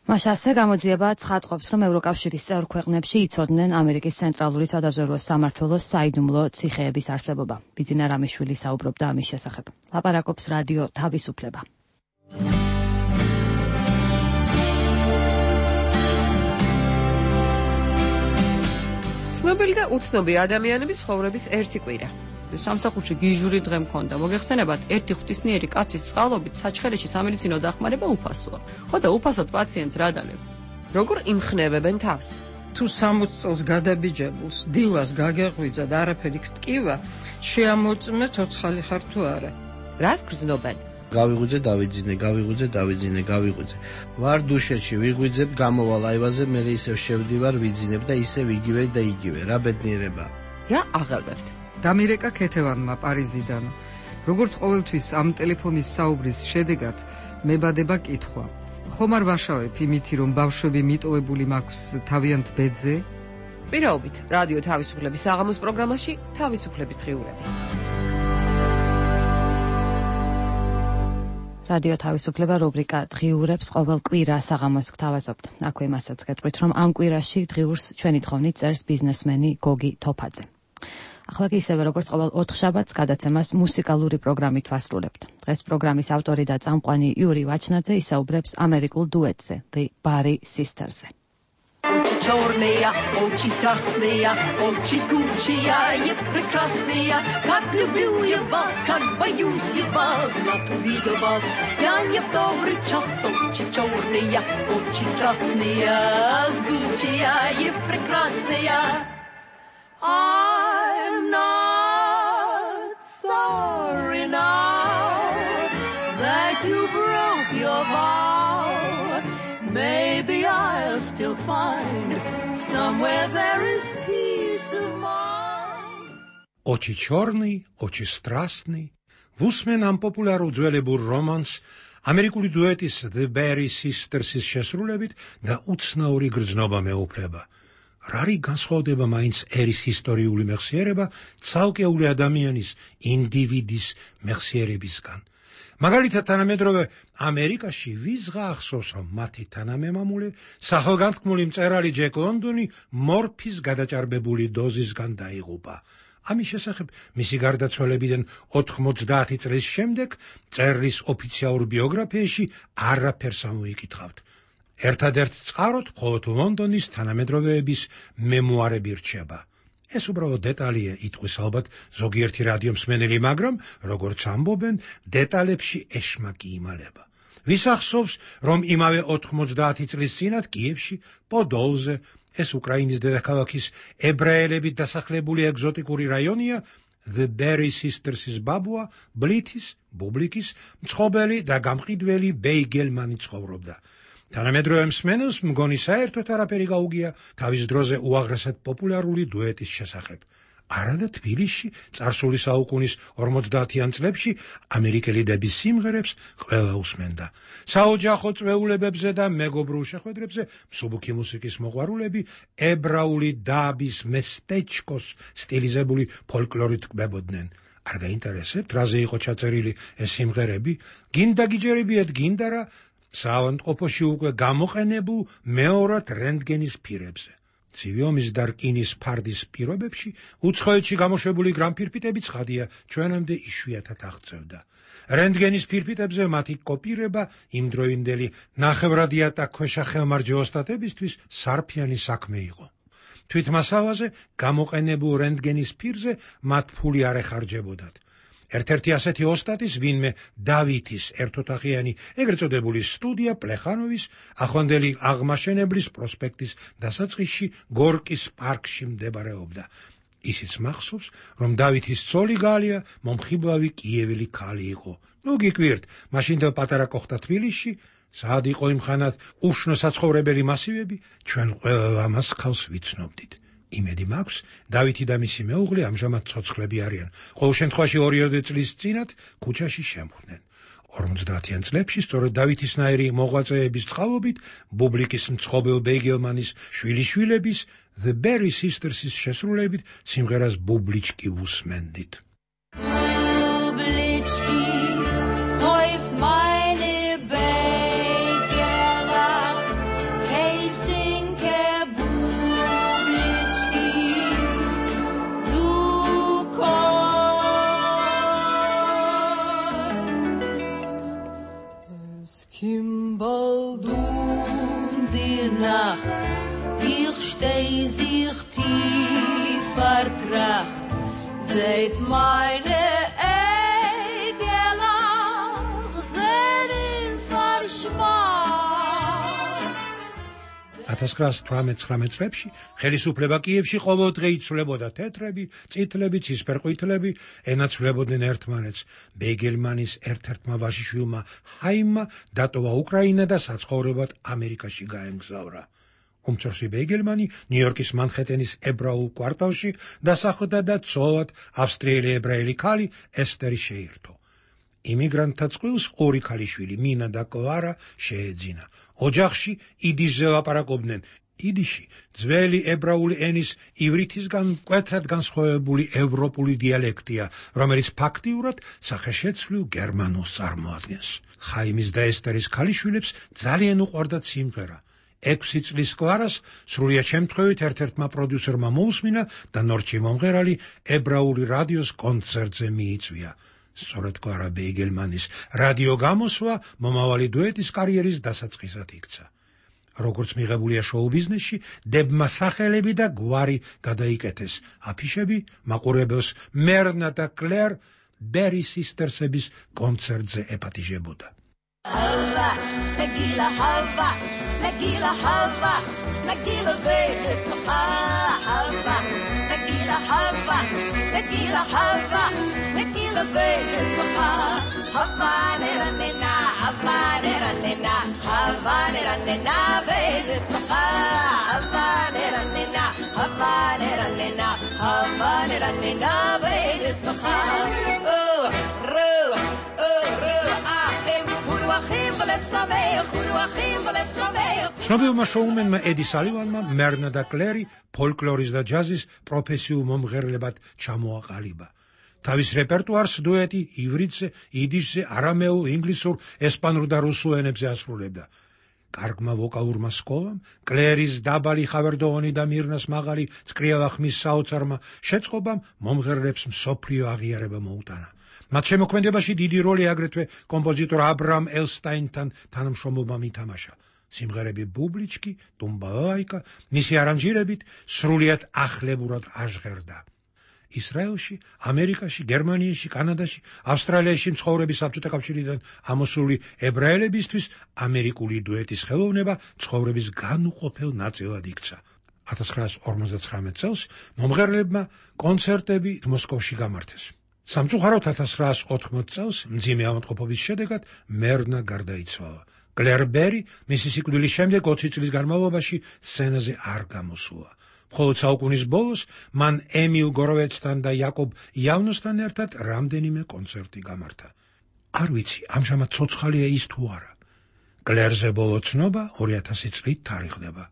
მას ასე გამოძიება ცხადყოფს, რომ ევროკავშირის წევრ ქვეყნებში იცოდნენ ამერიკის ცენტრალური სადაზვერვო სამმართველოს საიდუმლო ციხეების არსებობა. ბიძინა რამიშვილი საუბრობდა ამის შესახებ. ლაპარაკობს რადიო თავისუფლება. ცნობილი და უცნობი ადამიანების ცხოვრების ერთი კვირა. სამსახურში გიჟური დღე მქონდა. მოგეხსენებათ, ერთი ღვთისმიერი კაცის წყალობით საჩხერეში სამედიცინო დახმარება უფასოა. ხო და უფასოდ პაციენტს რა დალევს? როგორ იმხნევებენ თავს? თუ სამოცი წელს გადაბიჯებულს დილას გაგეღვიძა და არაფერი გტკივა, შეამოწმე ცოცხალი ხარ თუ არა. რას გრძნობენ? გავიღვიძე, დავიძინე, გავიღვიძე, დავიძინე, გავიღვიძე. ვარ დუშეთში, ვიღვიძებ, გამოვალ აივაზე, მე ისევ შევდივარ, ვიძინებ და ისევ იგივე და იგივე. რა ბედნიერება. რა აღელვებთ? დამირეკა ქეთევანმა პარიზიდან. როგორც ყოველთვის ამ ტელეფონის საუბრის შედეგად მებადება კითხვა. ხომ არ ვაშავებ იმითი, რომ ბავშვები მიტოვებული მაქვს თავიანთ ბედზე? პირაობით, რადიო თავისუფლების საღამოს პროგრამაში თავისუფლების დღიურები. რადიო თავისუფლება რუბრიკა დღიურებს ყოველ კვირა საღამოს გთავაზობთ. აქვე მასაც გეტყვით, რომ ამ კვირაში დღიურს ჩვენი თხოვნით წერს ბიზნესმენი გოგი თოფაძე. ახლა კი ისევე როგორც ყოველ ოთხშაბათს გადაცემას მუსიკალური პროგრამით ვასრულებთ. დღეს პროგრამის ავტორი და წამყვანი იური ვაჩნაძე ისაუბრებს ამერიკულ დუეტზე, The Bari Sisters-ზე. Очи черные, очи страстные, очи жгучие и прекрасные. Как люблю я вас, как боюсь я вас, знак увидел вас. Я не в добрый час, очи черные, очи страстные, жгучие и прекрасные. I'm not sorry now that you broke your vow. Maybe I'll still find somewhere there is peace of mind. Очи черный, очи страстный. Вусмен ამ პოპულარულ ძველებურ რომანს ამერიკული დუეტის The Bari Sisters-ის შესრულებით და უცნაური გრძნობა მეუფლება. რარი განსხვავდება მაინც ერის ისტორიული მეხსიერება ცალკეული ადამიანის ინდივიდის მეხსიერებისგან. მაგალითად, თანამედროვე ამერიკაში ვიზღა ახსოვს, რომ მათი თანამემამულე სახელგანთქმული მწერალი ჯეკ ლონდონი მორფის გადაჭარბებული დოზისგან დაიღუპა. ამის შესახებ მისი გარდაცვალებიდან ოთხმოცდაათი წლის შემდეგ მწერლის ოფიციალურ ბიოგრაფიაში არაფერს ამოიკითხავთ. ერთადერთ წყაროდ მხოლოდ ლონდონის თანამედროვეების მემუარები რჩება. ეს უბრალოდ დეტალია, იტყვის ალბათ ზოგიერთი რადიომსმენელი, მაგრამ როგორც ამბობენ, დეტალებში ეშმაკი იმალება. ვის ახსოვს, რომ იმავე ოთხმოცდაათი წლის წინათ კიევში, პოდოლზე, ეს უკრაინის დედაქალაქის ებრაელებით დასახლებული ეგზოტიკური რაიონია, The Bari Sisters-ის ბაბუა, ბლითის, ბუბლიკის, მწყობელი და გამყიდველი ბეიგელმანი ცხოვრობდა. თანამედროვე მსმენელს მგონი საერთოდ არაფერი გაუგია თავის დროზე უაღრესად პოპულარული დუეტის შესახებ. არადა თბილისში წარსული საუკუნის ორმოცდაათიან წლებში ამერიკელი დების სიმღერებს ყველა უსმენდა. საოჯახო წვეულებებზე და მეგობრულ შეხვედრებზე მსუბუქი მუსიკის მოყვარულები ებრაული დაბის მესტეჩკოს სტილიზებული ფოლკლორით კვებოდნენ. არ გაინტერესებთ, რაზე იყო ჩაწერილი ეს სიმღერები? გინდა გიჯერებიათ, გინდა რა საავადმყოფოში უკვე გამოყენებულ მეორად რენტგენის პირებზე. ცივი ომის და რკინის ფარდის პირობებში უცხოეთში გამოშვებული გრამფირფიტები ცხადია ჩვენამდე იშვიათად აღწევდა. რენტგენის ფირფიტებზე მათი კოპირება იმდროინდელი ნახევრადიატა ქვეშა ხელმარჯვე ოსტატებისთვის სარფიანი საქმე იყო. თვითმასალაზე გამოყენებულ რენტგენის პირზე მათ ფული არ ეხარჯებოდათ. ერთ-ერთი ასეთი ოსტატის ვინმე დავითის ერთოთახიანი ეგრეთ წოდებული სტუდია პლეხანოვის ახლანდელი აღმაშენებლის პროსპექტის დასაწყისში გორკის პარკში მდებარეობდა. ისიც მახსოვს, რომ დავითის ცოლი გალია მომხიბლავი კიეველი ქალი იყო. ნუ გიკვირთ, მაშინდელ პატარა კოხთა თბილისში სად იყო იმხანად უშნო საცხოვრებელი მასივები, ჩვენ ყველა ამას ხავს ვიცნობდით. იმედი მაქვს, დავითი და მისი მეუღლე ამჟამად ცოცხლები არიან. ყოველ შემთხვევაში ორი წლის წინათ ქუჩაში შემხვდნენ. ორმოცდაათიან წლებში სწორედ დავითისნაირი მოღვაწეების წყალობით ბუბლიკის მცხობელ ბეგელმანის შვილიშვილების The Berry Sisters-ის შესრულებით სიმღერას ბუბლიჩკი ვუსმენდით. Бублички, kauft meine Bägerla, Heisinke Bублички, du kommst. Es kommt bald um die Nacht, ich steh sich tief vertracht, seht meine ათას ცხრაასი თვრამეტ წლებში ხელისუფლება კიევში ყოველდღე იცვლებოდა თეთრები, წითლები, ცისფერყვითლები, ენაცვლებოდნენ ერთმანეთს. ბეგელმანის ერთ-ერთმა ვაჟიშვილმა ჰაიმმა დატოვა უკრაინა და საცხოვრებლად ამერიკაში გაემგზავრა. უმცროსი ბეგელმანი ნიუ-იორკის მანჰეტენის ებრაულ კვარტალში დასახლდა და ცოლად ავსტრიელი ებრაელი ქალი ესტერი შეირთო. იმიგრანტთა წყვილს ორი ქალიშვილი, მინა და კლარა შეეძინა. ოჯახში იდიშზე ლაპარაკობდნენ. იდიში ძველი ებრაული ენის ივრითისგან მკვეთრად განსხვავებული ევროპული დიალექტია, რომელიც ფაქტიურად სახეშეცვლილ გერმანულს წარმოადგენს. ხაიმის და ესტერის ქალიშვილებს ძალიან უყვარდათ სიმღერა. ექვსი წლის კლარას სრულიად შემთხვევით ერთ-ერთმა პროდიუსერმა მოусმინა და ნორჩი მომღერალი ებრაული რადიოს კონცერტზე მიიწვია. სწორედ კლარა ბეგელმანის რადიო გამოსვლა მომავალი დუეტის კარიერის დასაწყისად იქცა. როგორც მიღებულია შოუ ბიზნესში, დებმა სახელები და გვარი გადაიკეთეს. აფიშები მაყურებელს მერნა და კლერ ბერი სისტერსების კონცერტზე ეპატიჟებოდა. Hava, Nagila Hava, Nagila Hava, Nagila Vegas, Hava, Nagila Hava, Nagila Hava, Nagila Vegas, Hava, Nera Nena, Hava, Nera Nena, Hava, Nera Nena, Vegas, Hava, Nera Nena, Hava, Nera Nena, Hava, Nera Nena, Vegas, Oh, Ru, Oh, Ru, Achim, ცნობილმა შოუმენმა ედი სალივანმა მერნა და კლერი ფოლკლორის და ჯაზის პროფესიულ მომღერლებად ჩამოაყალიბა. თავის რეპერტუარს დუეტი ივრითზე, იდიშზე, არამეულ, ინგლისურ, ესპანურ და რუსულ ენებზე ასრულებდა. კარგმა ვოკალურმა სკოლამ, კლერის დაბალი ხავერდოვანი და მირნას მაღალი წკრიალა ხმის საოცარმა შეწყობამ მომღერლებს მსოფლიო აღიარება მოუტანა. მათ შემოქმედებაში დიდი როლი აგრეთვე კომპოზიტორ აბრამ ელსტაინთან თანამშრომლობამ ითამაშა. სიმღერები ბუბლიჩკი, ტუმბალაიკა მისი არანჟირებით სრულიად ახლებურად აჟღერდა. ისრაელში, ამერიკაში, გერმანიაში, კანადაში, ავსტრალიაში მცხოვრები საბჭოთა კავშირიდან ამოსული ებრაელებისთვის ამერიკული დუეტის ხელოვნება ცხოვრების განუყოფელ ნაწილად იქცა. ათას ცხრაასი ორმოცდათვრამეტ წელს მომღერლებმა კონცერტები მოსკოვში გამართეს. სამწუხაროდ ათას ცხრაასი ოთხმოცდ წელს მძიმე ავადმყოფობის შედეგად მერნა გარდაიცვალა. კლერ ბერი მისი სიკვდილის შემდეგ ოცი წლის განმავლობაში სცენაზე არ გამოსულა. მხოლოდ საუკუნის ბოლოს მან ემილ გოროვეცთან და იაკობ იავნოსთან ერთად რამდენიმე კონცერტი გამართა. არ ვიცი, ამჟამად ცოცხალია ის თუ არა. კლერზე ბოლო ცნობა ორი ათასი წლით თარიღდება.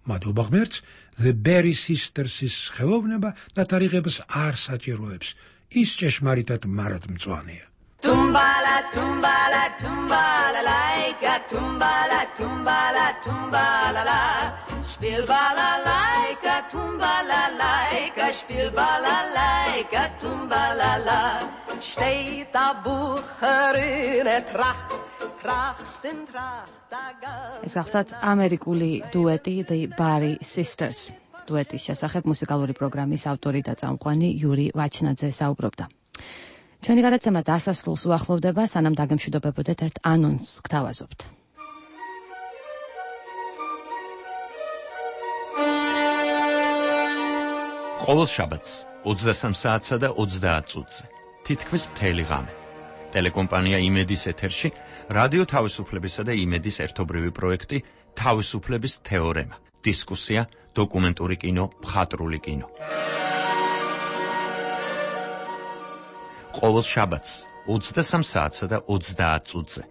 მადლობა ღმერთს, The Berry Sisters-ის ხელოვნება და თარიღებას არ საჭიროებს. ის ჭეშმარიტად მარადმწვანეა. Tumbala, tumbala, tumbala, laika, tumbala, tumbala, tumbala, la. Spiel balalaika, tumbala, laika, spiel balalaika, tumbala, la. Steht da Bucherin, tracht, trachten, tracht, ეს ახთათ ამერიკული დუეტი The Berry Sisters. დუეტის შესახებ მუსიკალური პროგრამის ავტორი და წამყვანი იური ვაჩნაძე საუბრობდა. ჩვენი გადაცემა დასასრულს უახლოვდება, სანამ დაგემშვიდობებოდეთ ერთ ანონსს გთავაზობთ. ყოველ შაბათს ოცდასამ საათსა და ოცდაათ წუთზე თითქმის მთელი ღამე ტელეკომპანია იმედის ეთერში რადიო თავისუფლებისა და იმედის ერთობრივი პროექტი თავისუფლების თეორემა, დისკუსია, დოკუმენტური კინო, მხატვრული კინო. ყოველ შაბათს ოცდასამ საათსა და ოცდაათ წუთზე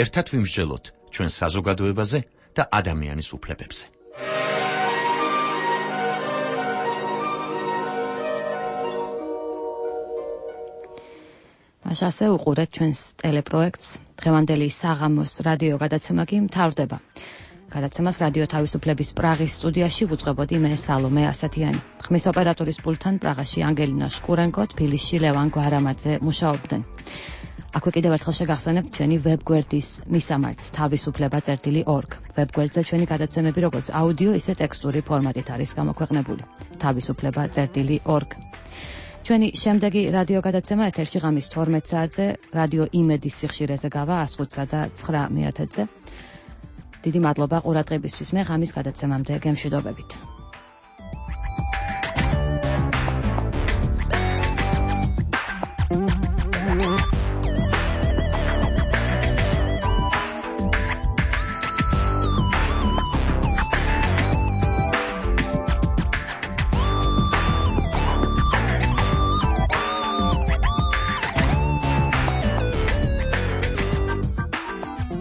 ერთად ვიმსჯელოთ ჩვენ საზოგადოებაზე და ადამიანის უფლებებზე. ასე უყურეთ ჩვენს ტელეპროექტს. დღევანდელი საღამოს რადიო გადაცემა კი მთავრდება. გადაცემას რადიო თავისუფლების პრაღის სტუდიაში ვუძღვებოდი მე სალომე ასათიანი. ხმის ოპერატორის პულტთან პრაღაში ანგელინა შკურენკო, თბილისში ლევან გვარამაძე მუშაობდნენ. აქვე კიდევ ერთხელ შეგახსენებთ ჩვენი ვებგვერდის მისამართს თავისუფლება წერტილი ორგ. ვებგვერდზე ჩვენი გადაცემები როგორც აუდიო, ისე ტექსტური ფორმატით არის გამოქვეყნებული. თავისუფლება წერტილი ორგ. ჩვენი შემდეგი რადიო გადაცემა ეთერში ღამის თორმეტ საათზე რადიო იმედის სიხშირეზე გავა ას ხუთსა და ცხრა მეათედზე. დიდი მადლობა ყურადღებისთვის. მე ღამის გადაცემამდე გემშვიდობებით.